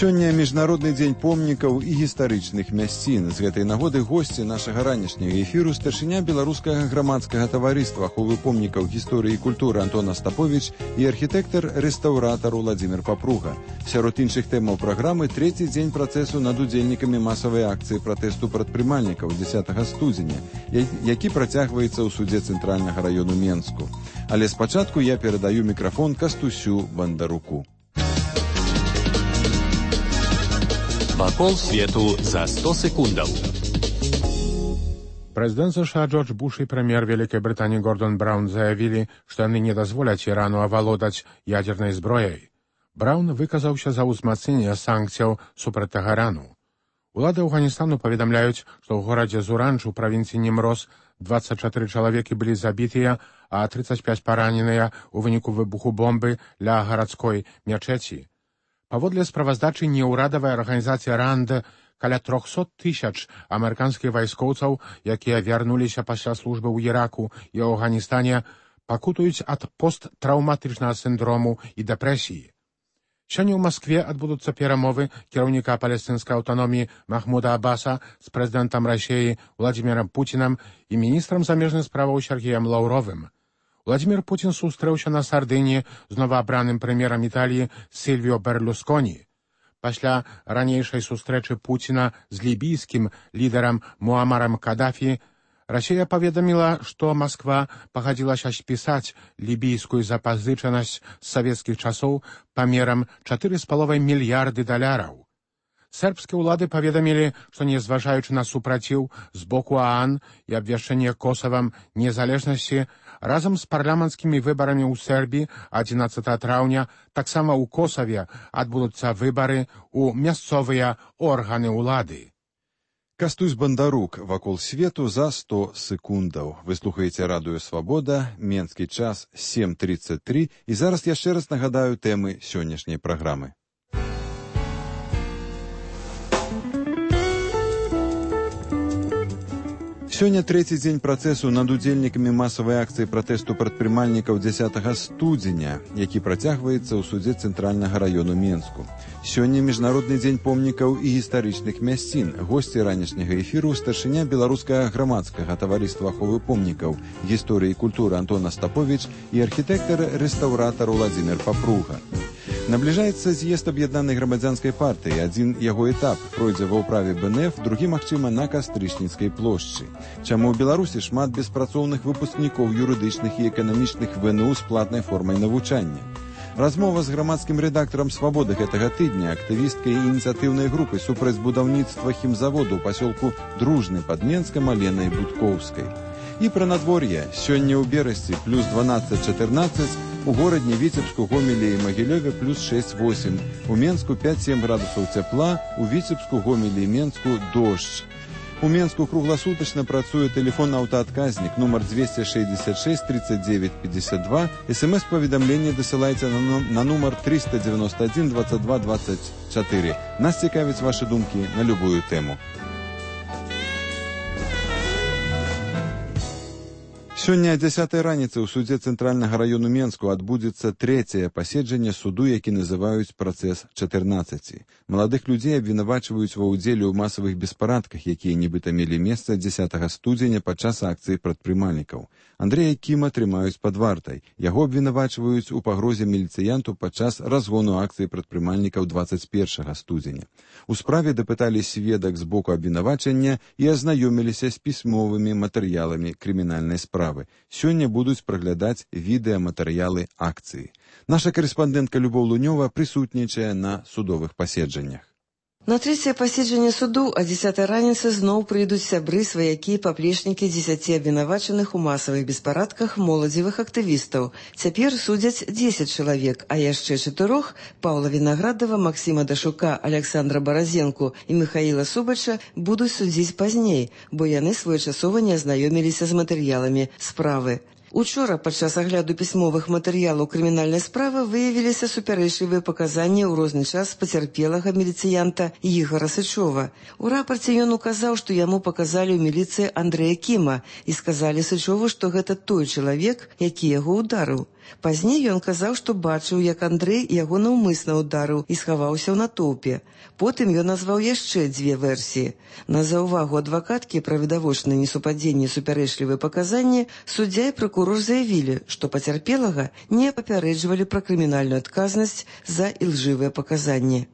S1: Сёння міжнародны дзень помнікаў і гістарычных мясцін. З гэтай нагоды госці нашага ранішняга эфіру старшыня беларускага грамадскага таварыства аховы помнікаў гісторыі і культуры Антон Остапович і архітэктар-рэстаўратар Владзімір Папруга. Сярод іншых тэмаў праграмы трэці дзень працэсу над удзельнікамі масавай акцыі пратэсту прадпрымальнікаў 10 студзеня, які працягваецца ў судзе цэнтральнага раёну Менску. Але спачатку я перадаю мікрафон Кастусю Бандаруку.
S3: Вакол свету за 100 секундаў.
S2: Прэзідэнт США Джордж Буш і прэм'ер Вялікай Брытаніі Гордон Браун заявілі, што яны не дазволяць Ірану авалодаць ядзернай зброяй. Браун выказаўся за ўзмацненне санкцыяў супраць Тэгарану. Улады Афганістану паведамляюць, што ў горадзе Зуранч у правінцыі Німроз 24 чалавекі былі забітыя, а 35 параненыя ў выніку выбуху бомбы ля гарадской мячэці. Паводле справаздачы неўрадавай арганізацыі РАНД, каля 300 000 амерыканскіх вайскоўцаў, якія вярнуліся пасля службы ў Іраку і Афганістане, пакутуюць ад посттраўматычнага сіндрому і дэпрэсіі. Сёння ў Маскве адбудуцца перамовы кіраўніка палестынскай аўтаноміі Махмуда Аббаса з прэзідэнтам Расіі Владзімірам Пуцінам і міністрам замежных справаў Сергеем Лаўровым. Владзімір Пуцін сустрэўся на Сардыніі з новаабраным прэм'ерам Італіі Сільвіо Берлусконі. Пасля ранейшай сустрэчы Пуціна з лібійскім лідарам Муамарам Кадафі Расія паведаміла, што Масква пагадзілася спісаць лібійскую запазычанасць з савецкіх часоў памерам 4,5 мільярды $. Сербскія ўлады паведамілі, што незважаючы на супраціў з боку ААН і абвяшчэнне Косавам незалежнасці, разам з парламенцкімі выбарамі ў Сербіі 11 траўня таксама ў Косаве адбудуцца выбары ў мясцовыя органы ўлады.
S1: Кастусь Бандарук вакол свету за 100 секундаў. Вы слухаеце радыё «Свабода», менскі час 7:33, і зараз яшчэ раз нагадаю тэмы сённяшняй праграмы. Сёння трэці дзень працэсу над удзельнікамі масавай акцыі пратэсту прадпрымальнікаў 10 студзеня, які працягваецца ў судзе цэнтральнага раёну Менску. Сёння міжнародны дзень помнікаў і гістарычных мясцін. Госці ранішняга эфіру старшыня беларускага грамадскага таварыства аховы помнікаў гісторыі і культуры Антон Остапович і архітэктар-рэстаўратар Владзімір Папруга. Набліжаецца з'езд аб'яднанай грамадзянскай партыі. Адзін яго этап пройдзе ва ўправе БНФ, другі, магчыма, на Кастрычніцкай плошчы. Чаму ў Беларусі шмат беспрацоўных выпускнікоў юрыдычных і эканамічных ВНУ з платнай формай навучання? Размова з грамадскім рэдактарам «Свабоды» гэтага тыдня, актывісткай ініцыятыўнай групы супраць будаўніцтва хімзаводу ў пасёлку Дружны пад Менскам Аленай Будкоўскай. І пра надвор'е. Сёння ў Берасці плюс 12-14, у горадні Віцебску, Гомелі і Магілёве плюс 6-8, у Менску 5-7 градусаў цяпла, у Віцебску, Гомелі і Менску дождж. У Менску кругласутачна працуе тэлефон-аўтаадказнік нумар 266 39 52. СМС-паведамленне дасылайце на нумар 391 22 24. Нас цікавяць вашы думкі на любую тэму. Сёння о 10 раніцы ў судзе Цэнтральнага раёну Менску адбудзецца трэцяе паседжанне суду, які называюць працэс 14. Маладых людзей абвінавачваюць ва ўдзеле ў масавых беспарадках, якія нібыта мелі месца 10 студзеня падчас акцыі прадпрымальнікаў. Андрэя Кіма трымаюць пад вартай. Яго абвінавачваюць у пагрозе міліцыянту падчас разгону акцыі прадпрымальнікаў 21 студзеня. У справе дапыталі сведак з боку абвінавачання і азнаёміліся з пісьмовымі матэрыяламі крымінальнай справы. Сёння будуць праглядаць відэаматэрыялы акцыі. Наша карэспандэнтка Любоў Лунёва прысутнічае на судовых паседжаннях.
S4: На трэцяе паседжанне суду о 10 раніцы зноў прыйдуць сябры, сваякі і паплечнікі 10 абвінавачаных у масавых беспарадках моладзевых актывістаў. Цяпер судзяць 10 чалавек, а яшчэ 4 Паўла Вінаградова, Максіма Дашука, Александра Баразенку і Михаіла Субача будуць судзіць пазней, бо яны своечасова не азнаёміліся з матэрыяламі справы. Учора падчас агляду пісьмовых матэрыялаў крымінальнай справы выявіліся супярэчлівыя паказанні ў розны час пацярпелага міліцыянта Ігора Сычова. У рапарце ён указаў, што яму паказалі ў міліцыі Андрэя Кіма і сказалі Сычову, што гэта той чалавек, які яго ударыў. Пазней ён казаў, што бачыў, як Андрэй яго наўмысна ударыў і схаваўся ў натоўпе. Потым ён назваў яшчэ 2 версіі. На заўвагу адвакаткі пра відавочнае несупадзенне і супярэчлівыя паказанні суддзя і пракурор заявілі, што пацярпелага не папярэджвалі пра крымінальную адказнасць за ілжывыя паказанні.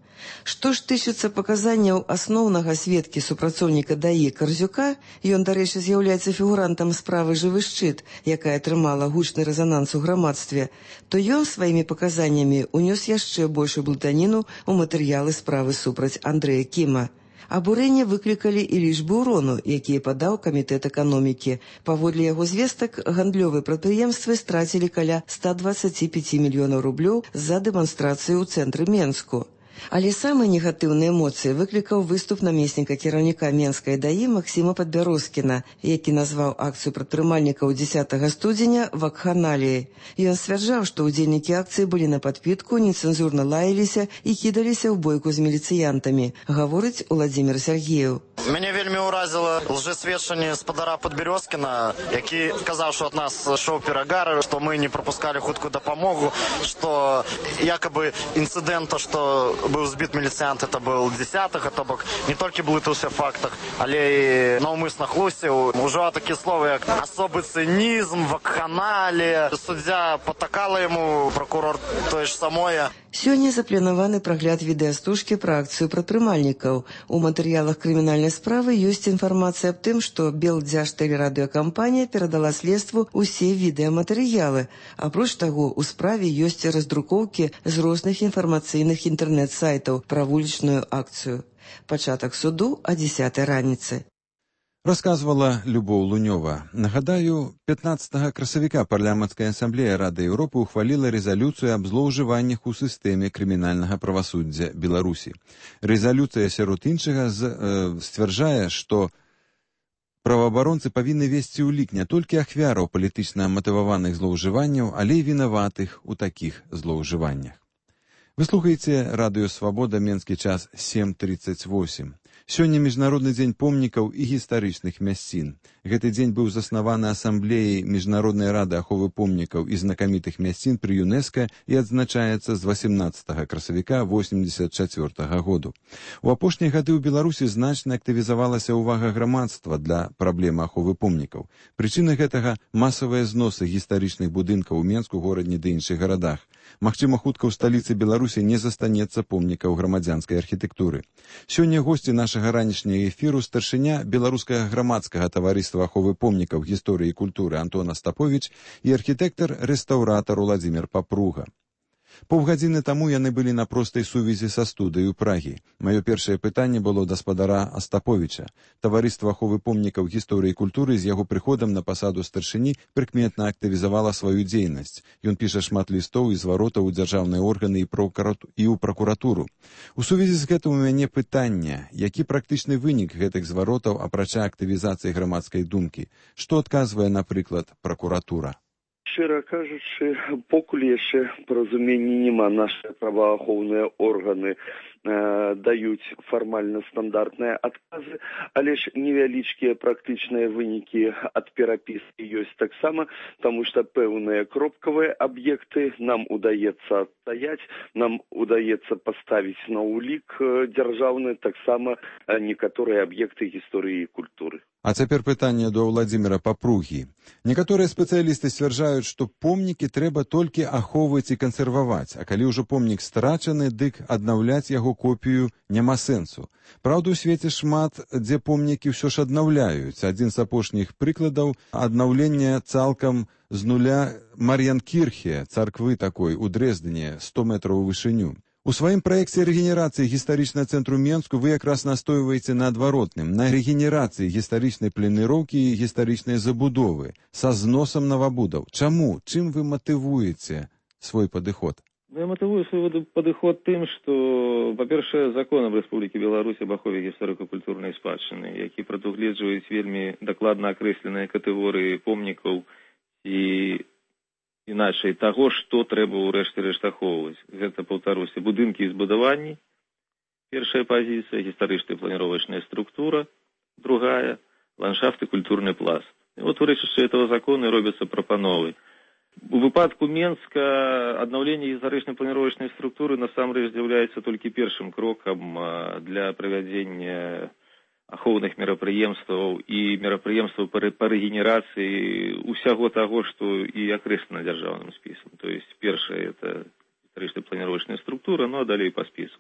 S4: Што ж тычыцца паказанняў асноўнага сведкі супрацоўніка ДАІ Карзюка, ён, дарэчы, з'яўляецца фігурантам справы «Жывы шчыт», якая атрымала гучны рэзананс у грамадстве, то ён сваімі паказаннямі унёс яшчэ большую блытаніну ў матэрыялы справы супраць Андрэя Кіма. Абурэнне выклікалі і лічбы ўрону, якія падаў камітэт эканомікі. Паводле яго звестак, гандлёвыя прадпрыемствы страцілі каля 125 мільёнаў рублёў за дэманстрацыю ў цэнтры Менску. Але самыя негатыўныя эмоцыі выклікаў выступ намесніка кіраўніка Менскай ДАІ Максіма Падбярозкіна, які назваў акцыю прадпрымальнікаў 10 студзеня вакханаліяй. Ён сцвярджаў, што ўдзельнікі акцыі былі на падпітку, нецэнзурна лаяліся і кідаліся ў бойку з міліцыянтамі, гаворыць Уладзімір Сергеев.
S5: Мяне вельмі ўразіла лжэсведчанне спадара Падбярозкіна, які сказаў, што ад нас шоў перагар, што мы не прапускалі хуткую дапамогу, што якобы інцыдэнта, што быў збіт міліцыянт, это был 10-га, то бок не толькі блытаўся в фактах, але і наўмысна хлусіў. Ужо такія словы, як асобы цынізм, вакханалія. Суддзя патакала яму, пракурор тое ж самое.
S4: Сёння запланаваны прагляд відэастужкі пра акцыю прадпрымальнікаў. У матэрыялах крымінальнай справы ёсць інфармацыя аб тым, што Белдзяжтэлерадыёкампанія перадала следству ўсе відэаматэрыялы. Апроч таго, у справе ёсць раздрукоўкі з розных інфармацыйных інтэрнэт-сайтаў пра вулічную акцыю. Пачатак суду о 10 раніцы.
S1: Расказвала Любоў Лунёва. Нагадаю, 15 красавіка парламенцкая асамблея Рады Еўропы ухваліла рэзалюцыю аб злоўжываннях у сістэме крымінальнага правасуддзя Беларусі. Рэзалюцыя, сярод іншага, сцвярджае, што праваабаронцы павінны весці ў лік не толькі ахвяраў палітычна матываваных злоўжыванняў, але і вінаватых у такіх злоўжываннях. Вы слухаеце Радыё Свабода, менскі час 7:38. Сёння Міжнародны дзень помнікаў і гістарычных мясцін. Гэты дзень быў заснаваны асамблеяй Міжнароднай рады аховы помнікаў і знакамітых мясцін пры ЮНЕСКА і адзначаецца з 18 красавіка 1984 году. У апошнія гады ў Беларусі значна актывізавалася ўвага грамадства для праблемы аховы помнікаў. Прычына гэтага – масавыя зносы гістарычных будынкаў у Менску, горадні ды іншых гарадах. Магчыма, хутка ў сталіцы Беларусі не застанецца помнікаў грамадзянскай архітэктуры. Сёння госці нашага ранішняга эфіру старшыня беларускага грамадскага таварыства аховы помнікаў гісторыі і культуры Антон Астаповіч і архітэктар-рэстаўратар Уладзімір Папруга. Паўгадзіны таму яны былі на простай сувязі са студыяй у Прагі. Маё першае пытанне было да спадара Астаповіча. Таварыства аховы помнікаў гісторыі і культуры з яго прыходам на пасаду старшыні прыкметна актывізавала сваю дзейнасць. Ён піша шмат лістоў і зваротаў у дзяржаўныя органы і ў пракуратуру. У сувязі з гэтым у мяне пытанне, які практычны вынік гэтых зваротаў апрача актывізацыі грамадскай думкі? Што адказвае, напрыклад, пракуратура?
S7: Шчыра кажучы, покуль яшчэ паразумення няма. Нашы праваахоўныя органы даюць фармальна стандартныя адказы, але ж невялічкія практычныя вынікі ад перапіскі ёсць таксама, таму што пэўныя кропкавыя аб'екты нам удаецца адстаяць, нам удаецца паставіць на ўлік дзяржаўны таксама некаторыя аб'екты гісторыі і культуры.
S1: А цяпер пытанне до Владзіміра Папругі. Некаторыя спецыялісты сцвярджаюць, што помнікі трэба толькі ахоўваць і кансерваваць, а калі ўжо помнік страчаны, дык аднаўляць яго копію няма сэнсу. Праўда, у свеце шмат, дзе помнікі ўсё ж аднаўляюць. Адзін з апошніх прыкладаў аднаўлення цалкам з нуля Мар'янкірхе, царквы такой у Дрэздене, 100 метраў у вышыню. У сваім праекце рэгенерацыі гістарычнага цэнтру Менску вы якраз настойваеце на адваротным, на рэгенерацыі гістарычнай планіроўкі і гістарычнай забудовы, са зносам навабудаў. Чаму? Чым вы матывуеце свой падыход?
S8: Я матывую свой падыход тым, што, па-першае, законам Рэспублікі Беларусь об ахове гісторыка-культурнай спадчыны, які прадугледжваюць вельмі дакладна акрэсленыя катэгорыі помнікаў і іначай таго, што трэба ўрэшце рэшт ахоўваць. Гэта, паўтаруся, будынкі і збудаванні, першая пазіцыя, гістарычная планіровачная структура, другая, ландшафт і культурны пласт. І от у рэчышчы этого закону робяцца прапановы. У выпадку Менска аднаўленне гістарычнай планіровачнай структуры насамрэч з'яўляецца толькі першым крокам для правядзення ахоўных мерапрыемстваў і мерапрыемстваў па рэгенерацыі ўсяго таго, што і акрэслена дзяржаўным спісам. То есть першае это гістарычная планіровачная структура, ну а далей па спісу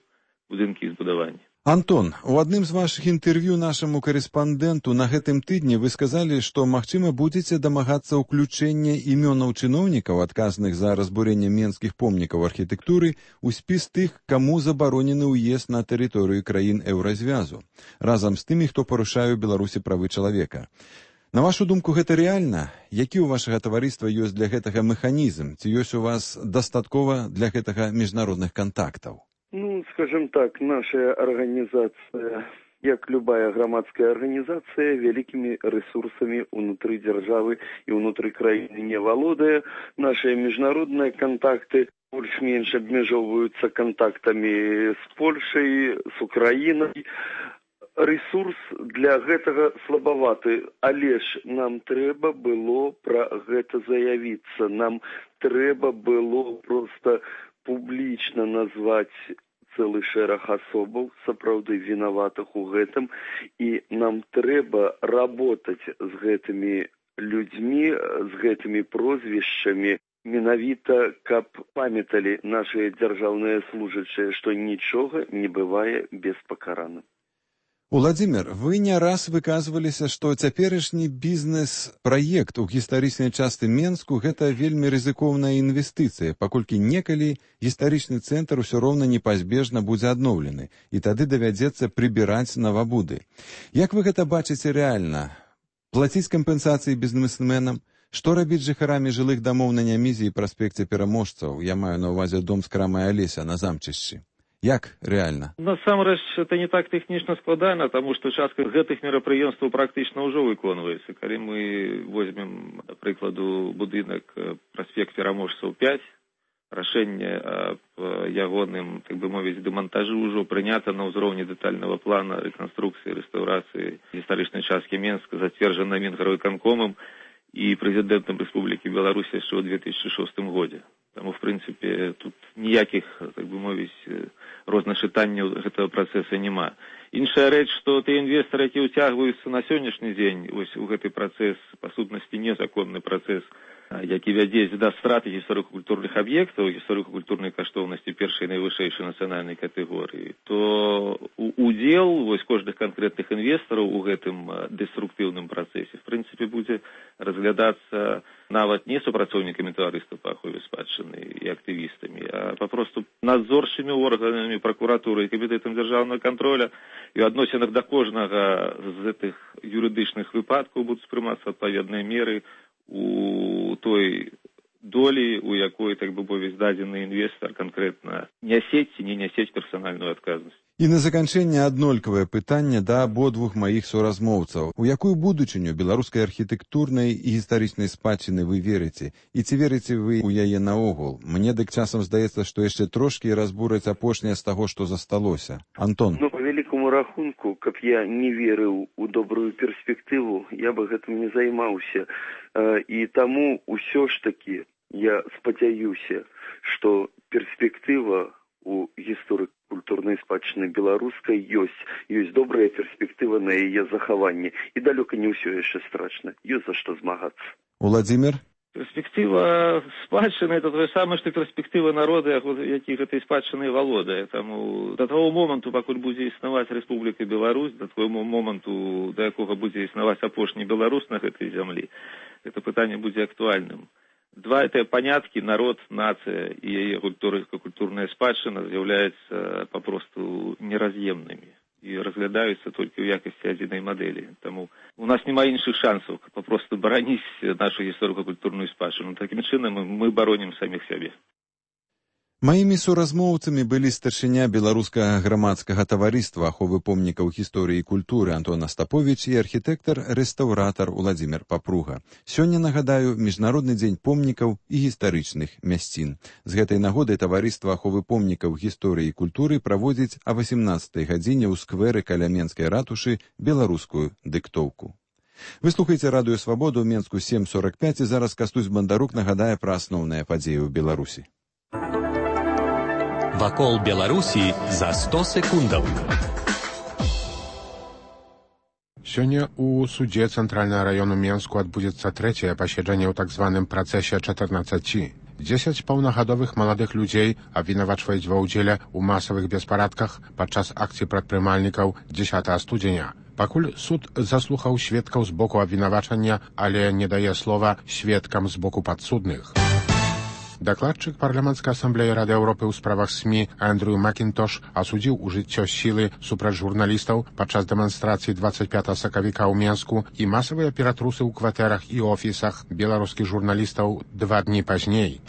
S8: будынкі і збудаванні.
S1: Антон, у адным з вашых інтэрв'ю нашаму карэспандэнту на гэтым тыдні вы сказалі, што, магчыма, будзеце дамагацца ўключэння імёнаў чыноўнікаў, адказных за разбурэнне менскіх помнікаў архітэктуры, у спіс тых, каму забаронены ўезд на тэрыторыю краін Еўразвязу, разам з тымі, хто парушае ў Беларусі правы чалавека. На вашу думку, гэта рэальна? Які ў вашага таварыства ёсць для гэтага механізм? Ці ёсць у вас дастаткова для гэтага міжнародных кантактаў?
S7: Ну, скажем так, наша организация, як любая громадская организация, великими ресурсами внутри державы и внутри краины не валодая. Наши международные контакты больш-менш обмежовываются контактами с Польшей, с Украиной. Ресурс для гэтага слабаваты, але ж нам трэба было пра гэта заявіцца, нам трэба было просто публічна назваць цэлы шэраг асобаў, сапраўды вінаватых у гэтым, і нам трэба работаць з гэтымі людзьмі, з гэтымі прозвішчамі, менавіта, каб памяталі нашыя дзяржаўныя служачыя, што нічога не бывае беспакараным.
S1: Владзімір, вы не раз выказваліся, што цяперашні бізнес-праект у гістарычнай частцы Менску гэта вельмі рызыкоўная інвестыцыя, паколькі некалі гістарычны цэнтр усё роўна непазбежна будзе адноўлены, і тады давядзецца прыбіраць навабуды. Як вы гэта бачыце рэальна? Плаціць кампенсацыі бізнесменам? Што рабіць жыхарамі жылых дамоў на Нямізе і праспекце Пераможцаў? Я маю на ўвазе дом з крамай Алеся на Замчышчы. Як рэальна?
S8: Насамрэч, это не так тэхнічна складана, таму што частка гэтых мерапрыемстваў практычна ўжо выконваецца. Калі мы возьмем, да прыкладу, будынак праспект Пераможцаў 5, рашэнне аб ягоным, так бы мовіць, дэмантажы ўжо прынята на ўзроўні дэтальнага плана рэканструкцыі, рэстаўрацыі гістарычнай часткі Менска, зацверджана Мінгарвыканкомам і прэзідэнтам Рэспублікі Беларусь яшчэ ў 2006 годзе. Таму, в прынцыпе, тут ніякіх, так бы мовіць, розначытанняў гэтага працэса няма. Іншая рэч, што тыя інвестары, які ўцягваюцца на сённяшні дзень вось у гэты працэс, па сутнасці незаконны працэс, які вядзе да страты гісторыка-культурных аб'ектаў, гісторыка-культурнай каштоўнасці першай найвышэйшай нацыянальнай катэгорыі, то удзел вось кожных канкрэтных інвестараў у гэтым дэструктыўным працэсе, в прынцыпе, будзе разглядацца нават не супрацоўнікамі таварыства па ахове спадчыны і актывістамі, а папросту надзорчымі органамі пракуратуры і камітэтам дзяржаўнага контроля, і ў адносінах да кожнага з гэтых юрыдычных выпадкаў будуць прымацца адпаведныя меры у той долі, у якой, так бы мовіць, дадзены інвестар канкрэтна нясець ці не нясець персанальную адказнасць.
S1: І на заканчэнне аднолькавае пытанне да абодвух маіх суразмоўцаў. У якую будучыню беларускай архітэктурнай і гістарычнай спадчыны вы верыце? І ці верыце вы ў яе наогул? Мне дык часам здаецца, што яшчэ трошкі разбураць апошняе з таго, што засталося. Антон.
S7: Ну, па вялікаму рахунку, каб я не верыў у добрую перспектыву, я бы гэтым не займаўся. І таму ўсё ж такі я спадзяюся, што перспектыва у гісторыка-культурнай спадчыны беларускай ёсць добрая перспектыва на яе захаванне. І далёка не ўсё яшчэ страшна. Ёсць за што змагацца.
S1: Уладзімір?
S8: Перспектыва спадчыны – это тое самае, што перспектыва народа, які гэтай спадчынай валодае. Таму да таго моманту, пакуль будзе існаваць Рэспубліка Беларусь, да таго моманту, да якога будзе існаваць апошні беларус на гэтай зямлі, гэта пытанне будзе актуальным. Два это паняткі, народ, нацыя і яе культурная спадчына з'яўляюцца папросту нераз'емнымі і разглядаюцца толькі ў якасці адзінай мадэлі. Таму у нас няма іншых шансаў папросту бараніць нашу гісторыка-культурную спадчыну. Такім чынам мы баронім саміх сябе.
S1: Маімі суразмоўцамі былі старшыня беларускага грамадскага таварыства аховы помнікаў гісторыі і культуры Антон Астаповіч і архітэктар-рэстаўратар Уладзімір Папруга. Сёння, нагадаю, Міжнародны дзень помнікаў і гістарычных мясцін. З гэтай нагоды таварыства аховы помнікаў гісторыі і культуры праводзіць о 18 гадзіне ў сквэры каля Менскай ратушы беларускую дыктоўку. Вы слухаеце радыё Свабоду ў Менску 7:45 і зараз Кастусь Бандарук нагадае пра асноўныя падзеі ў Беларусі.
S3: Вакол Беларусі за 100 секундаў.
S2: Сёння у судзе Цэнтральнага раёну Менску адбудзецца трэцяе паседжанне ў так званым працэсе 14. 10 паўнагадовых маладых людзей абвінавачваюць ва ўдзеле ў масавых беспарадках падчас акцый прадпрымальнікаў 10 студзеня. Пакуль суд заслухаў сведкаў з боку абвінавачання, але не дае слова сведкам з боку падсудных. Дакладчык парламенцкай асамблеі Рады Еўропы ў справах СМІ Эндрю Макінтош асудзіў ужыццё сілы супраць журналістаў падчас дэманстрацыі 25 сакавіка ў Менску і масавыя ператрусы ў кватэрах і офісах беларускіх журналістаў 2 дні пазней.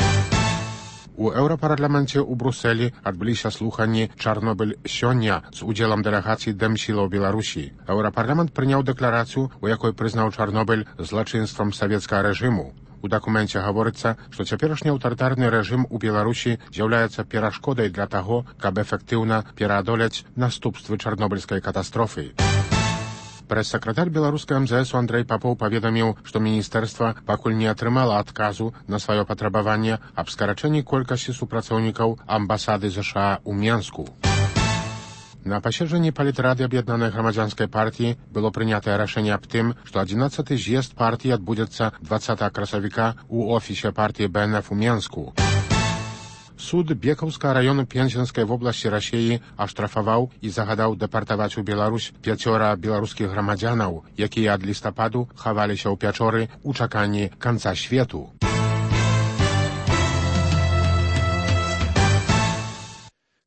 S2: У Еўрапарламенце ў Брусэлі адбыліся слуханні «Чарнобыль сёння» з удзелам дэлегацыі Дэмсілаў Беларусі. Еўрапарламент прыняў дэкларацыю, у якой прызнаў Чарнобыль злачынствам савецкага рэжыму. У дакуменце гаворыцца, што цяперашні аўтарытарны рэжым у Беларусі з'яўляецца перашкодай для таго, каб эфектыўна пераадолець наступствы чарнобыльскай катастрофы. Прэс-сакратар беларускай МЗС Андрэй Папоў паведаміў, што міністэрства пакуль не атрымала адказу на сваё патрабаванне аб скарачэнні колькасці супрацоўнікаў амбасады ЗША ў Менску. На паседжанні палітрады аб'яднанай грамадзянскай партіі было прынятае рашэнне аб тым, што 11-й з'езд партіі адбудзецца 20 красавіка ў офісе партіі БНФ у Менску. Суд Бекаўскага раёну Пензенскай вобласці Расіі аштрафаваў і загадаў дэпартаваць у Беларусь 5 беларускіх грамадзянаў, якія ад лістападу хаваліся ў пячоры ў чаканні канца свету.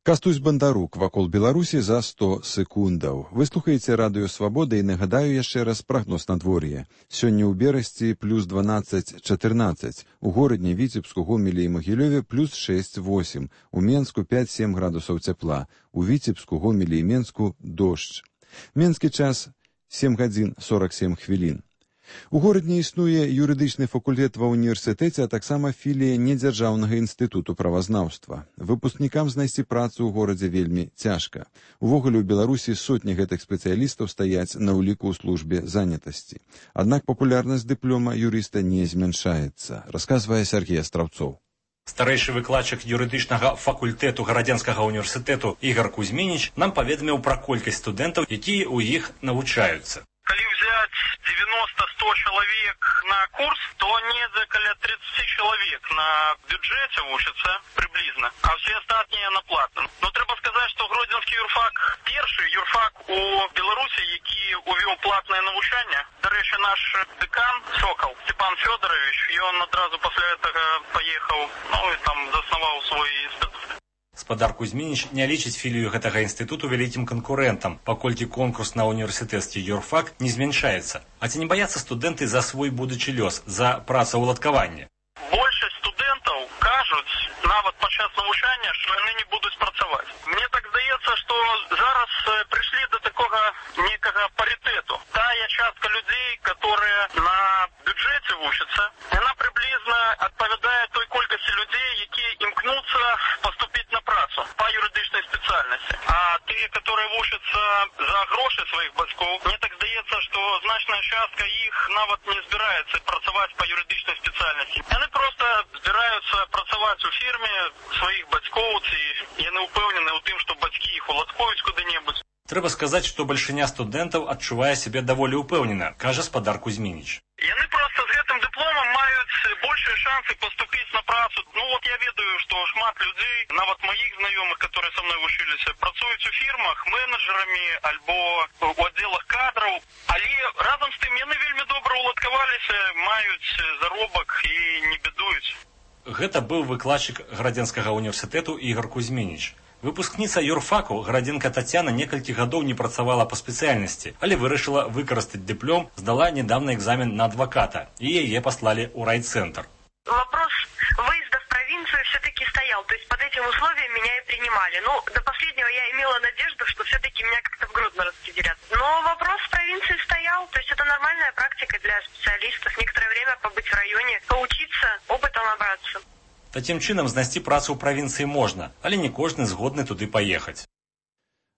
S1: Кастусь Бандарук вакол Беларусі за 100 секундаў. Вы слухаеце радыё Свабода і нагадаю яшчэ раз прагноз надвор'я. Сёння ў Берасці плюс 12-14, у горадні Віцебску, Гомелі і Магілёве плюс 6-8, у Менску 5-7 градусаў цяпла, у Віцебску, Гомелі і Менску дождж. Менскі час 7 гадзін 47 хвілін. У горадні існуе юрыдычны факультэт ва ўніверсітэце, а таксама філія недзяржаўнага інстытуту правазнаўства. Выпускнікам знайсці працу ў горадзе вельмі цяжка. Увогуле ў Беларусі сотні гэтых спецыялістаў стаяць на ўліку ў службе занятасці. Аднак папулярнасць дыплома юрыста не змяншаецца, расказвае Сергей Астраўцоў.
S6: Старэйшы выкладчык юрыдычнага факультэту Гарадзенскага універсітэту Ігар Кузьмініч нам паведаміў пра колькасць студэнтаў, якія ў іх навучаюцца.
S22: Калі взять 90-100 человек на курс, то недзе каля 30 человек на бюджете вучатся приблизно, а все остальные на платном. Но треба сказать, что Гродзенский юрфак перший юрфак у Беларусі, які увёў платное навучанне. До речі, наш декан Сокол Степан Федорович, ён адразу пасля этого поехал, і там заснаваў свой інстытут.
S6: Спадар Кузьмініч не лічыць філію гэтага інстытуту вялікім канкурэнтам, паколькі конкурс на універсітэцкі юрфак не змяншаецца. А ці не баяцца студэнты за свой будучы лёс, за працаўладкаванне?
S22: Большасць студэнтаў падчас навучання, што яны не будуць працаваць. Мне так здаецца, што зараз прыйшлі да такога некага паритету. Тая частка людзей, которые на бюджэце вучацца, яна прыблізна адпавядае той колькасці людзей, якія імкнуцца паступіць на працу па юрыдычнай спецыяльнасці. А тыя, которые вучацца за грошы сваіх бацькоў, мне так здаецца, што значная частка іх нават не збіраецца працаваць па юрыдычнай спецыяльнасці. Яны проста збіраюцца працаваць у фірме сваіх бацькоў, ці яны ўпэўнены ў тым, што бацькі іх уладкуюць куды-небудзь.
S6: Трэба сказаць, што бальшыня студэнтаў адчувае сябе даволі ўпэўнена, кажа спадар Кузьмініч.
S22: Яны проста з гэтым дыпломам маюць большыя шансы паступіць на працу. Ну вот я ведаю, што шмат людзей, нават маіх знаёмых, которые са мной вучыліся, працуюць у фірмах менеджерамі альбо у аддзелах кадраў, але разам з тым яны вельмі добра уладкаваліся, маюць заробак і не бедуюць.
S6: Гэта быў выкладчык Градзенскага універсітэту Ігар Кузьмініч. Выпускніца юрфаку Градзенка Тацяна некалькі гадоў не працавала па спецыяльнасці, але вырашыла выкарыстаць дыплом, здала недавно экзамен на адваката, і яе паслалі ў райцентр.
S9: Вопрос выезда в провинцию все-таки стоял, то есть под этим условием меня и принимали. Ну, до последнего я имела надежду, что все-таки меня как-то в Гродно распределят. Но вопрос в провинции стоял, то есть это нормальная практика для специалистов. Некоторое время побыть в районе, поучиться, опытом набраться.
S6: Такім чынам знайсці працу ў правінцыі можна, але не кожны згодны туды паехаць.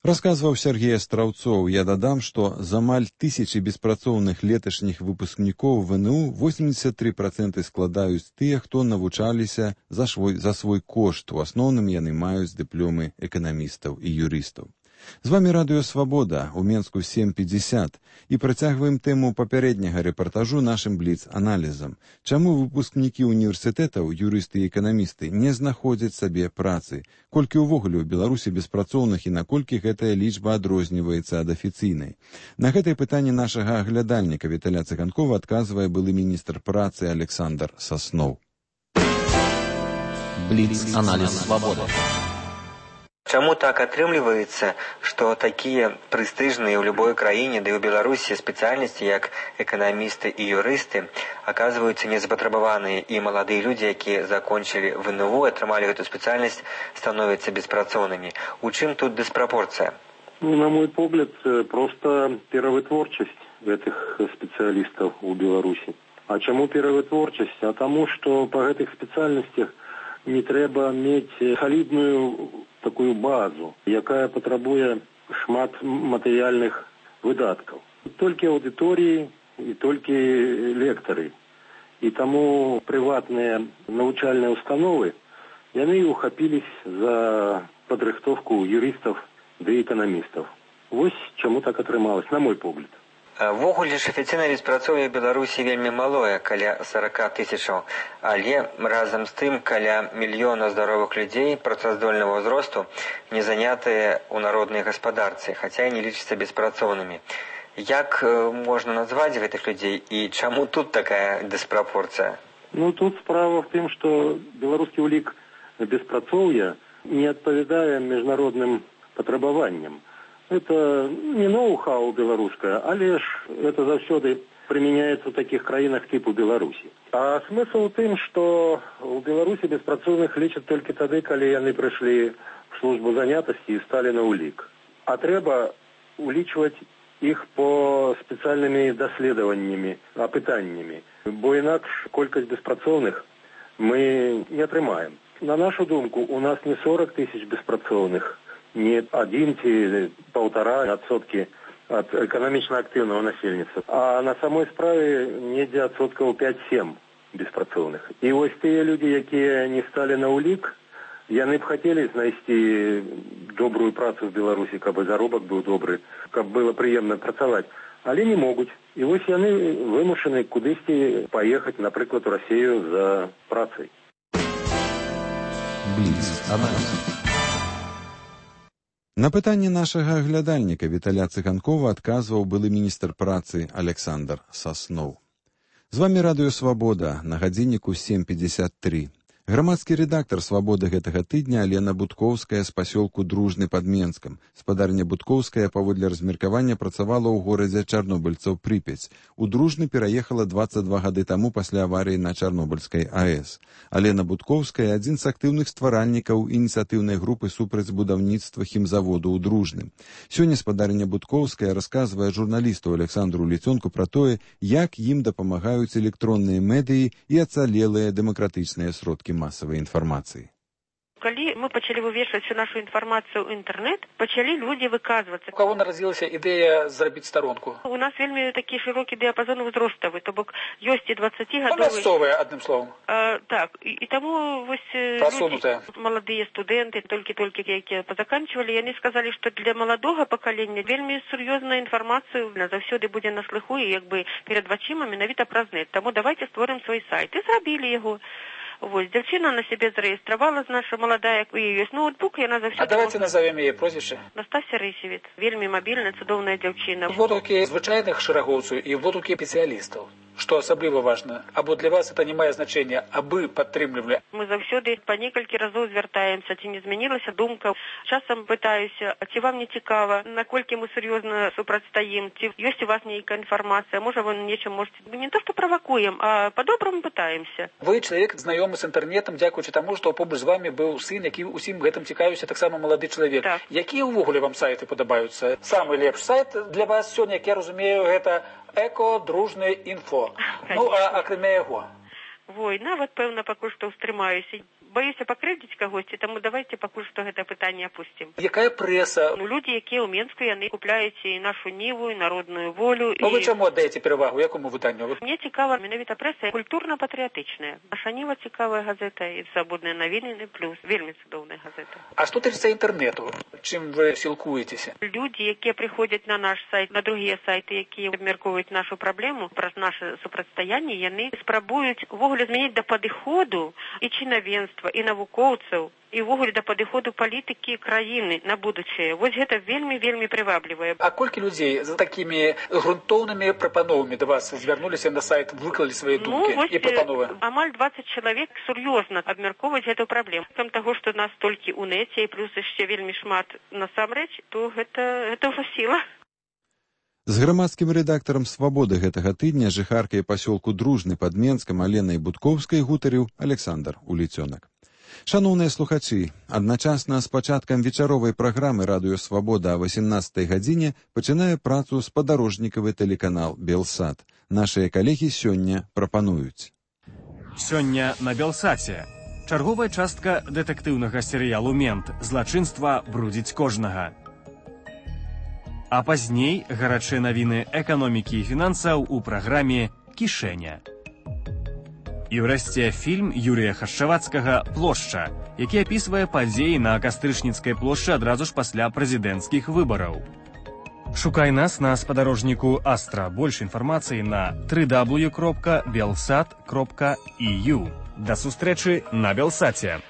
S1: Расказваў Сергей Астраўцоў. Я дадам, што з амаль 1000 беспрацоўных леташніх выпускнікоў ВНУ 83% складаюць тыя, хто навучаліся за свой кошт. У асноўным яны маюць дыпломы эканамістаў і юрыстаў. З вамі Радыё Свабода, у Менску 7:50, і працягваем тэму папярэдняга рэпартажу нашым бліц-аналізам. Чаму выпускнікі універсітэтаў, юрысты і эканамісты, не знаходзяць сабе працы? Колькі ўвогуле ў Беларусі беспрацоўных і наколькі гэтая лічба адрозніваецца ад афіцыйнай? На гэтае пытанне нашага аглядальніка Віталя Цыганкова адказвае былы міністр працы Александр Сасноў.
S10: Бліц-аналіз Свабода. Чаму так атрымліваецца, што такія прэстыжныя ў любой краіне, ды ў Беларусі спецыяльнасці, як эканамісты і юрысты, аказваюцца незапатрабаваныя, і маладыя людзі, якія закончылі ВНУ, атрымалі гэту спецыяльнасць, становяцца беспрацоўнымі. У чым тут диспропорция?
S23: Ну, на мой погляд, просто перавытворчасць гэтых спецыялістаў у Беларусі. А чаму перавытворчасць? А таму, што па гэтых спецыяльнасцях не трэба мець салідную такую базу, якая патрабуе шмат матэрыяльных выдаткаў. Толькі аўдыторыі і толькі лектары. І таму прыватныя навучальныя установы, яны ухапілись за падрыхтоўку юрыстаў ды эканамістаў. Вось чаму так атрымалось, на мой погляд.
S10: Ввогуле ж афіцыйнае беспрацоўе Беларусі вельмі малое, каля 40 000, але разам з тым каля 1 мільёна здаровых людзей працаздольнага ўзросту не занятыя ў народнай гаспадарцы, хаця і не лічацца беспрацоўнымі. Як можна назваць гэтых людзей і чаму тут такая диспропорцыя?
S23: Ну, тут справа в тым, што беларускі ўлік беспрацоўя не адпавядае міжнародным патрабаванням. Это не ноу-хау беларускае, але ж это заўсёды прымяняецца ў такіх краінах типу Беларусі. А смысл у тым, што ў Беларусі беспрацоўных лічаць толькі тады, калі яны прыйшлі в службу занятасці і сталі на ўлік. А трэба улічваць іх по спецыяльнымі даследаваннямі, апытаннямі, бо інакш колькасць беспрацоўных мы не атрымаем. На нашу думку, у нас не 40 000 беспрацоўных, не 1 ці 1,5% ад эканамічна актыўнага насельніцтва, а на самой справе недзе адсоткаў 5-7 беспрацоўных. І вось тыя людзі, якія не сталі на ўлік, яны б хацелі знайсці добрую працу в Беларусі, каб заробак быў добры, каб было прыемна працаваць, але не могуць. І вось яны вымушаны кудысьці паехаць, напрыклад, у Расію за працай.
S10: Бліц-аналіз.
S1: На пытанне нашага аглядальніка Віталя Цыганкова адказваў былы міністр працы Александр Сасноў. З вамі Радыё Свабода, на гадзінніку 7:53. Грамадскі рэдактар «Свабоды» гэтага тыдня Алена Будкоўская з пасёлку Дружны пад Менскам. Спадарня Будкоўская паводле размеркавання працавала ў горадзе чарнобыльцаў Прыпяць. У Дружны пераехала 22 гады таму пасля аварыі на Чарнобыльскай АЭС. Алена Будкоўская адзін з актыўных стваральнікаў ініцыятыўнай групы супраць будаўніцтва хімзаводу ў Дружным. Сёння спадарня Будкоўская расказвае журналісту Александру Ліцёнку пра тое, як ім дапамагаюць электронныя медыі і ацалелыя дэмакратычныя сродкі масавай інфармацыі.
S11: Калі мы пачалі вывешваць всю нашу інфармацыю ў інтэрнэт, пачалі людзі выказвацца.
S15: У каго нарадзілася ідэя зрабіць старонку?
S11: У нас вельмі такі шырокі дыяпазон узроставы, то бок ёсць і 20гадовыя.
S15: Мясцовыя, адным словам.
S11: Так, і таму вось
S15: прасунутыя
S11: маладыя студэнты, толькі якія пазаканчвалі, яны сказалі, што для маладога пакалення вельмі сур'ёзная інфармацыя заўсёды будзе на слыху і як бы перад вачыма менавіта праз нет. Таму давайте створым свой сайт. І зрабілі яго. Вось, дзяўчына на сябе зарэгістравала, наша маладая, у яе ёсць ноутбук, яна заўсёды...
S15: А давайте назовем яе прозвішча.
S11: Настасья Рысевец. Вельмі мабільная, цудоўная дзяўчына.
S15: Водгукі звычайных шэрагоўцаў і водгукі спецыялістаў. Што асабліва важна? Або для вас это не мае значэння, абы падтрымлівалі?
S11: Мы заўсёды па некалькі разоў звяртаемся, ці не змянілася думка. Часам пытаюся, ці вам не цікава, наколькі мы сур'ёзна супрацьстаім, ці ёсць у вас нейкая інфармацыя, можа вы нечым можете... Не то, што правакуем, а па-добраму пытаемся.
S15: Вы чалавек знаёмы з інтэрнетам, дзякуючы таму, што побач з вамі быў сын, які ўсім гэтым цікавіўся, таксама малады чалавек.
S11: Так.
S15: Якія ўвогуле вам сайты падабаюцца? Самы лепшы сайт для вас сёння, як я разумею, гэта Эко-дружны інфо. Ну, а акрамя яго?
S11: Вой, нават, пэўна, пакуль што ўстрымаюся. Баюся пакрыўдзіць кагосьці, таму давайте пакуль што гэта пытанне апусцім.
S15: Якая прэса?
S11: Людзі, якія ў Менску, яны купляюць і нашу Ніву, і Народную волю.
S15: Ну, вы чаму аддаеце перавагу? Якому выданню?
S11: Мне цікава менавіта прэса культурна-патрыятычная. Наша Ніва цікавая газета і Свабодныя навіны плюс. Вельмі цудоўная газета.
S15: А што тычыцца інтэрнету? Чым вы сілкуецеся?
S11: Людзі, якія прыходзяць на наш сайт, на другія сайты, якія абмяркоўваюць нашу праблему праз наша супрацьстаянне, яны спрабуюць увогуле змяніць да падыходу і чынавенства, і навукоўцаў, і ўвогуле да падыходу палітыкі краіны на будучае. Вось гэта вельмі прываблівае.
S15: А колькі людзей за такімі грунтоўнымі прапановамі да вас звярнуліся на сайт, выклалі свае думкі і прапановы?
S11: Амаль 20 чалавек сур'ёзна абмяркоўваюць гэту праблему. Там таго, што нас толькі ў нэце і плюс яшчэ вельмі шмат насамрэч, то гэта ўжо сіла.
S1: З грамадскім рэдактарам «Свабоды» гэтага тыдня жыхаркай пасёлку Дружны пад Менскам Аленай Будкоўскай гутарыў Александр Уліцёнак. Шаноўныя слухачы, адначасна з пачаткам вечаровай праграмы «Радыё Свабода» о 18 гадзіне пачынае працу спадарожнікавы тэлеканал «Белсат». Нашыя калегі сёння прапануюць.
S12: Сёння на «Белсаце». Чарговая частка дэтэктыўнага серыялу «Мент». Злачынства брудзіць кожнага. А пазней гарачыя навіны эканомікі і фінансаў у праграме «Кішэня». І ўрэшце фільм Юрія Хашчавацкага «Плошча», які апісвае падзеі на Кастрычніцкай плошчы адразу ж пасля прэзідэнцкіх выбараў. Шукай нас на спадарожніку Астра. Больш інфармацыі на www.belsat.eu. Да сустрэчы на Белсаце.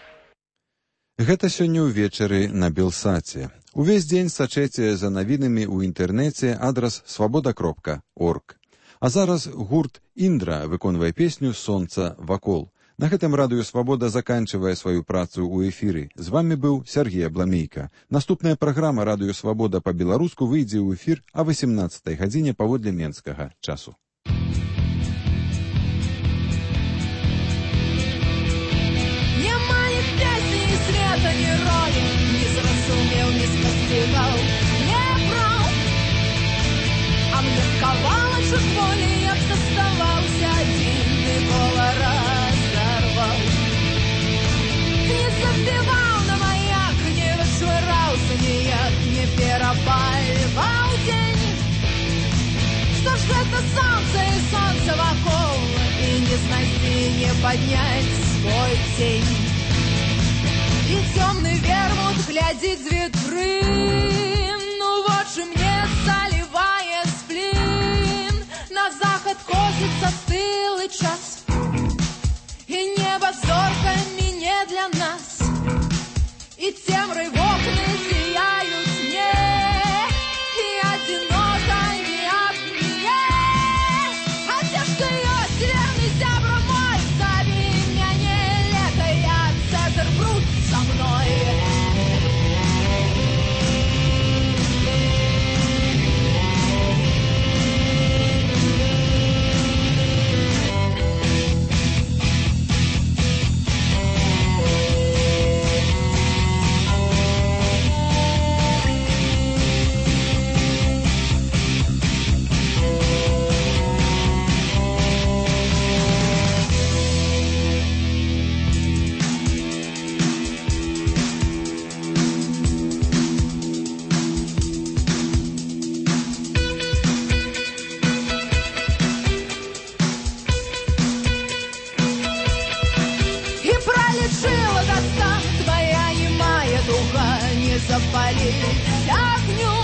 S1: Гэта сёння ўвечары на Белсаце. Увесь дзень сачэце за навінамі ў інтэрнэце адрас свабода.орг. А зараз гурт «Індра» выконвае песню «Сонца вакол». На гэтым радыё «Свабода» заканчивае сваю працу ў эфіры. З вами быў Сергей Абламейка. Наступная праграма «Радыё Свабода» па-беларуску выйдзе ў эфір о 18 гадзіне паводле менскага часу.
S21: Няма ні песні, ні света, ні ролі, ні зразумеў, ні спасцігаў, не браў. А мне кавалачак волі, як заставаўся адзін, Мікола разарваў. Не забіваў на маяк, не вышвыраўся ніяк, не перапальваў дзень. Што ж гэта сонца і сонца вакол, і не знайсці, не падняць свой цень. І цёмны вермут глядзіць з вітрын, ну вочы мне залівае сплін. На захад косіцца стылы час, і неба зоркамі не для нас, і цемрай вокны зіяюць мне, і адзінота не ад мяне. А дзе ж ты ёсць, верны зябра мой, забі мяне, лета я не запалить огню.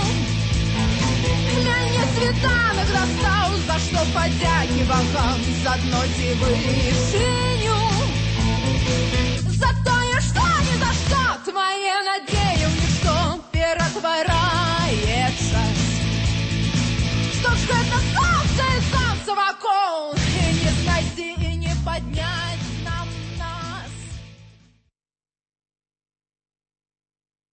S21: Мяне світанак дастаў, за што падзякі богам, за дно дзівы сіню. За тое, што ні за што твае надзеі ў нішто ператвараецца. Што ж гэта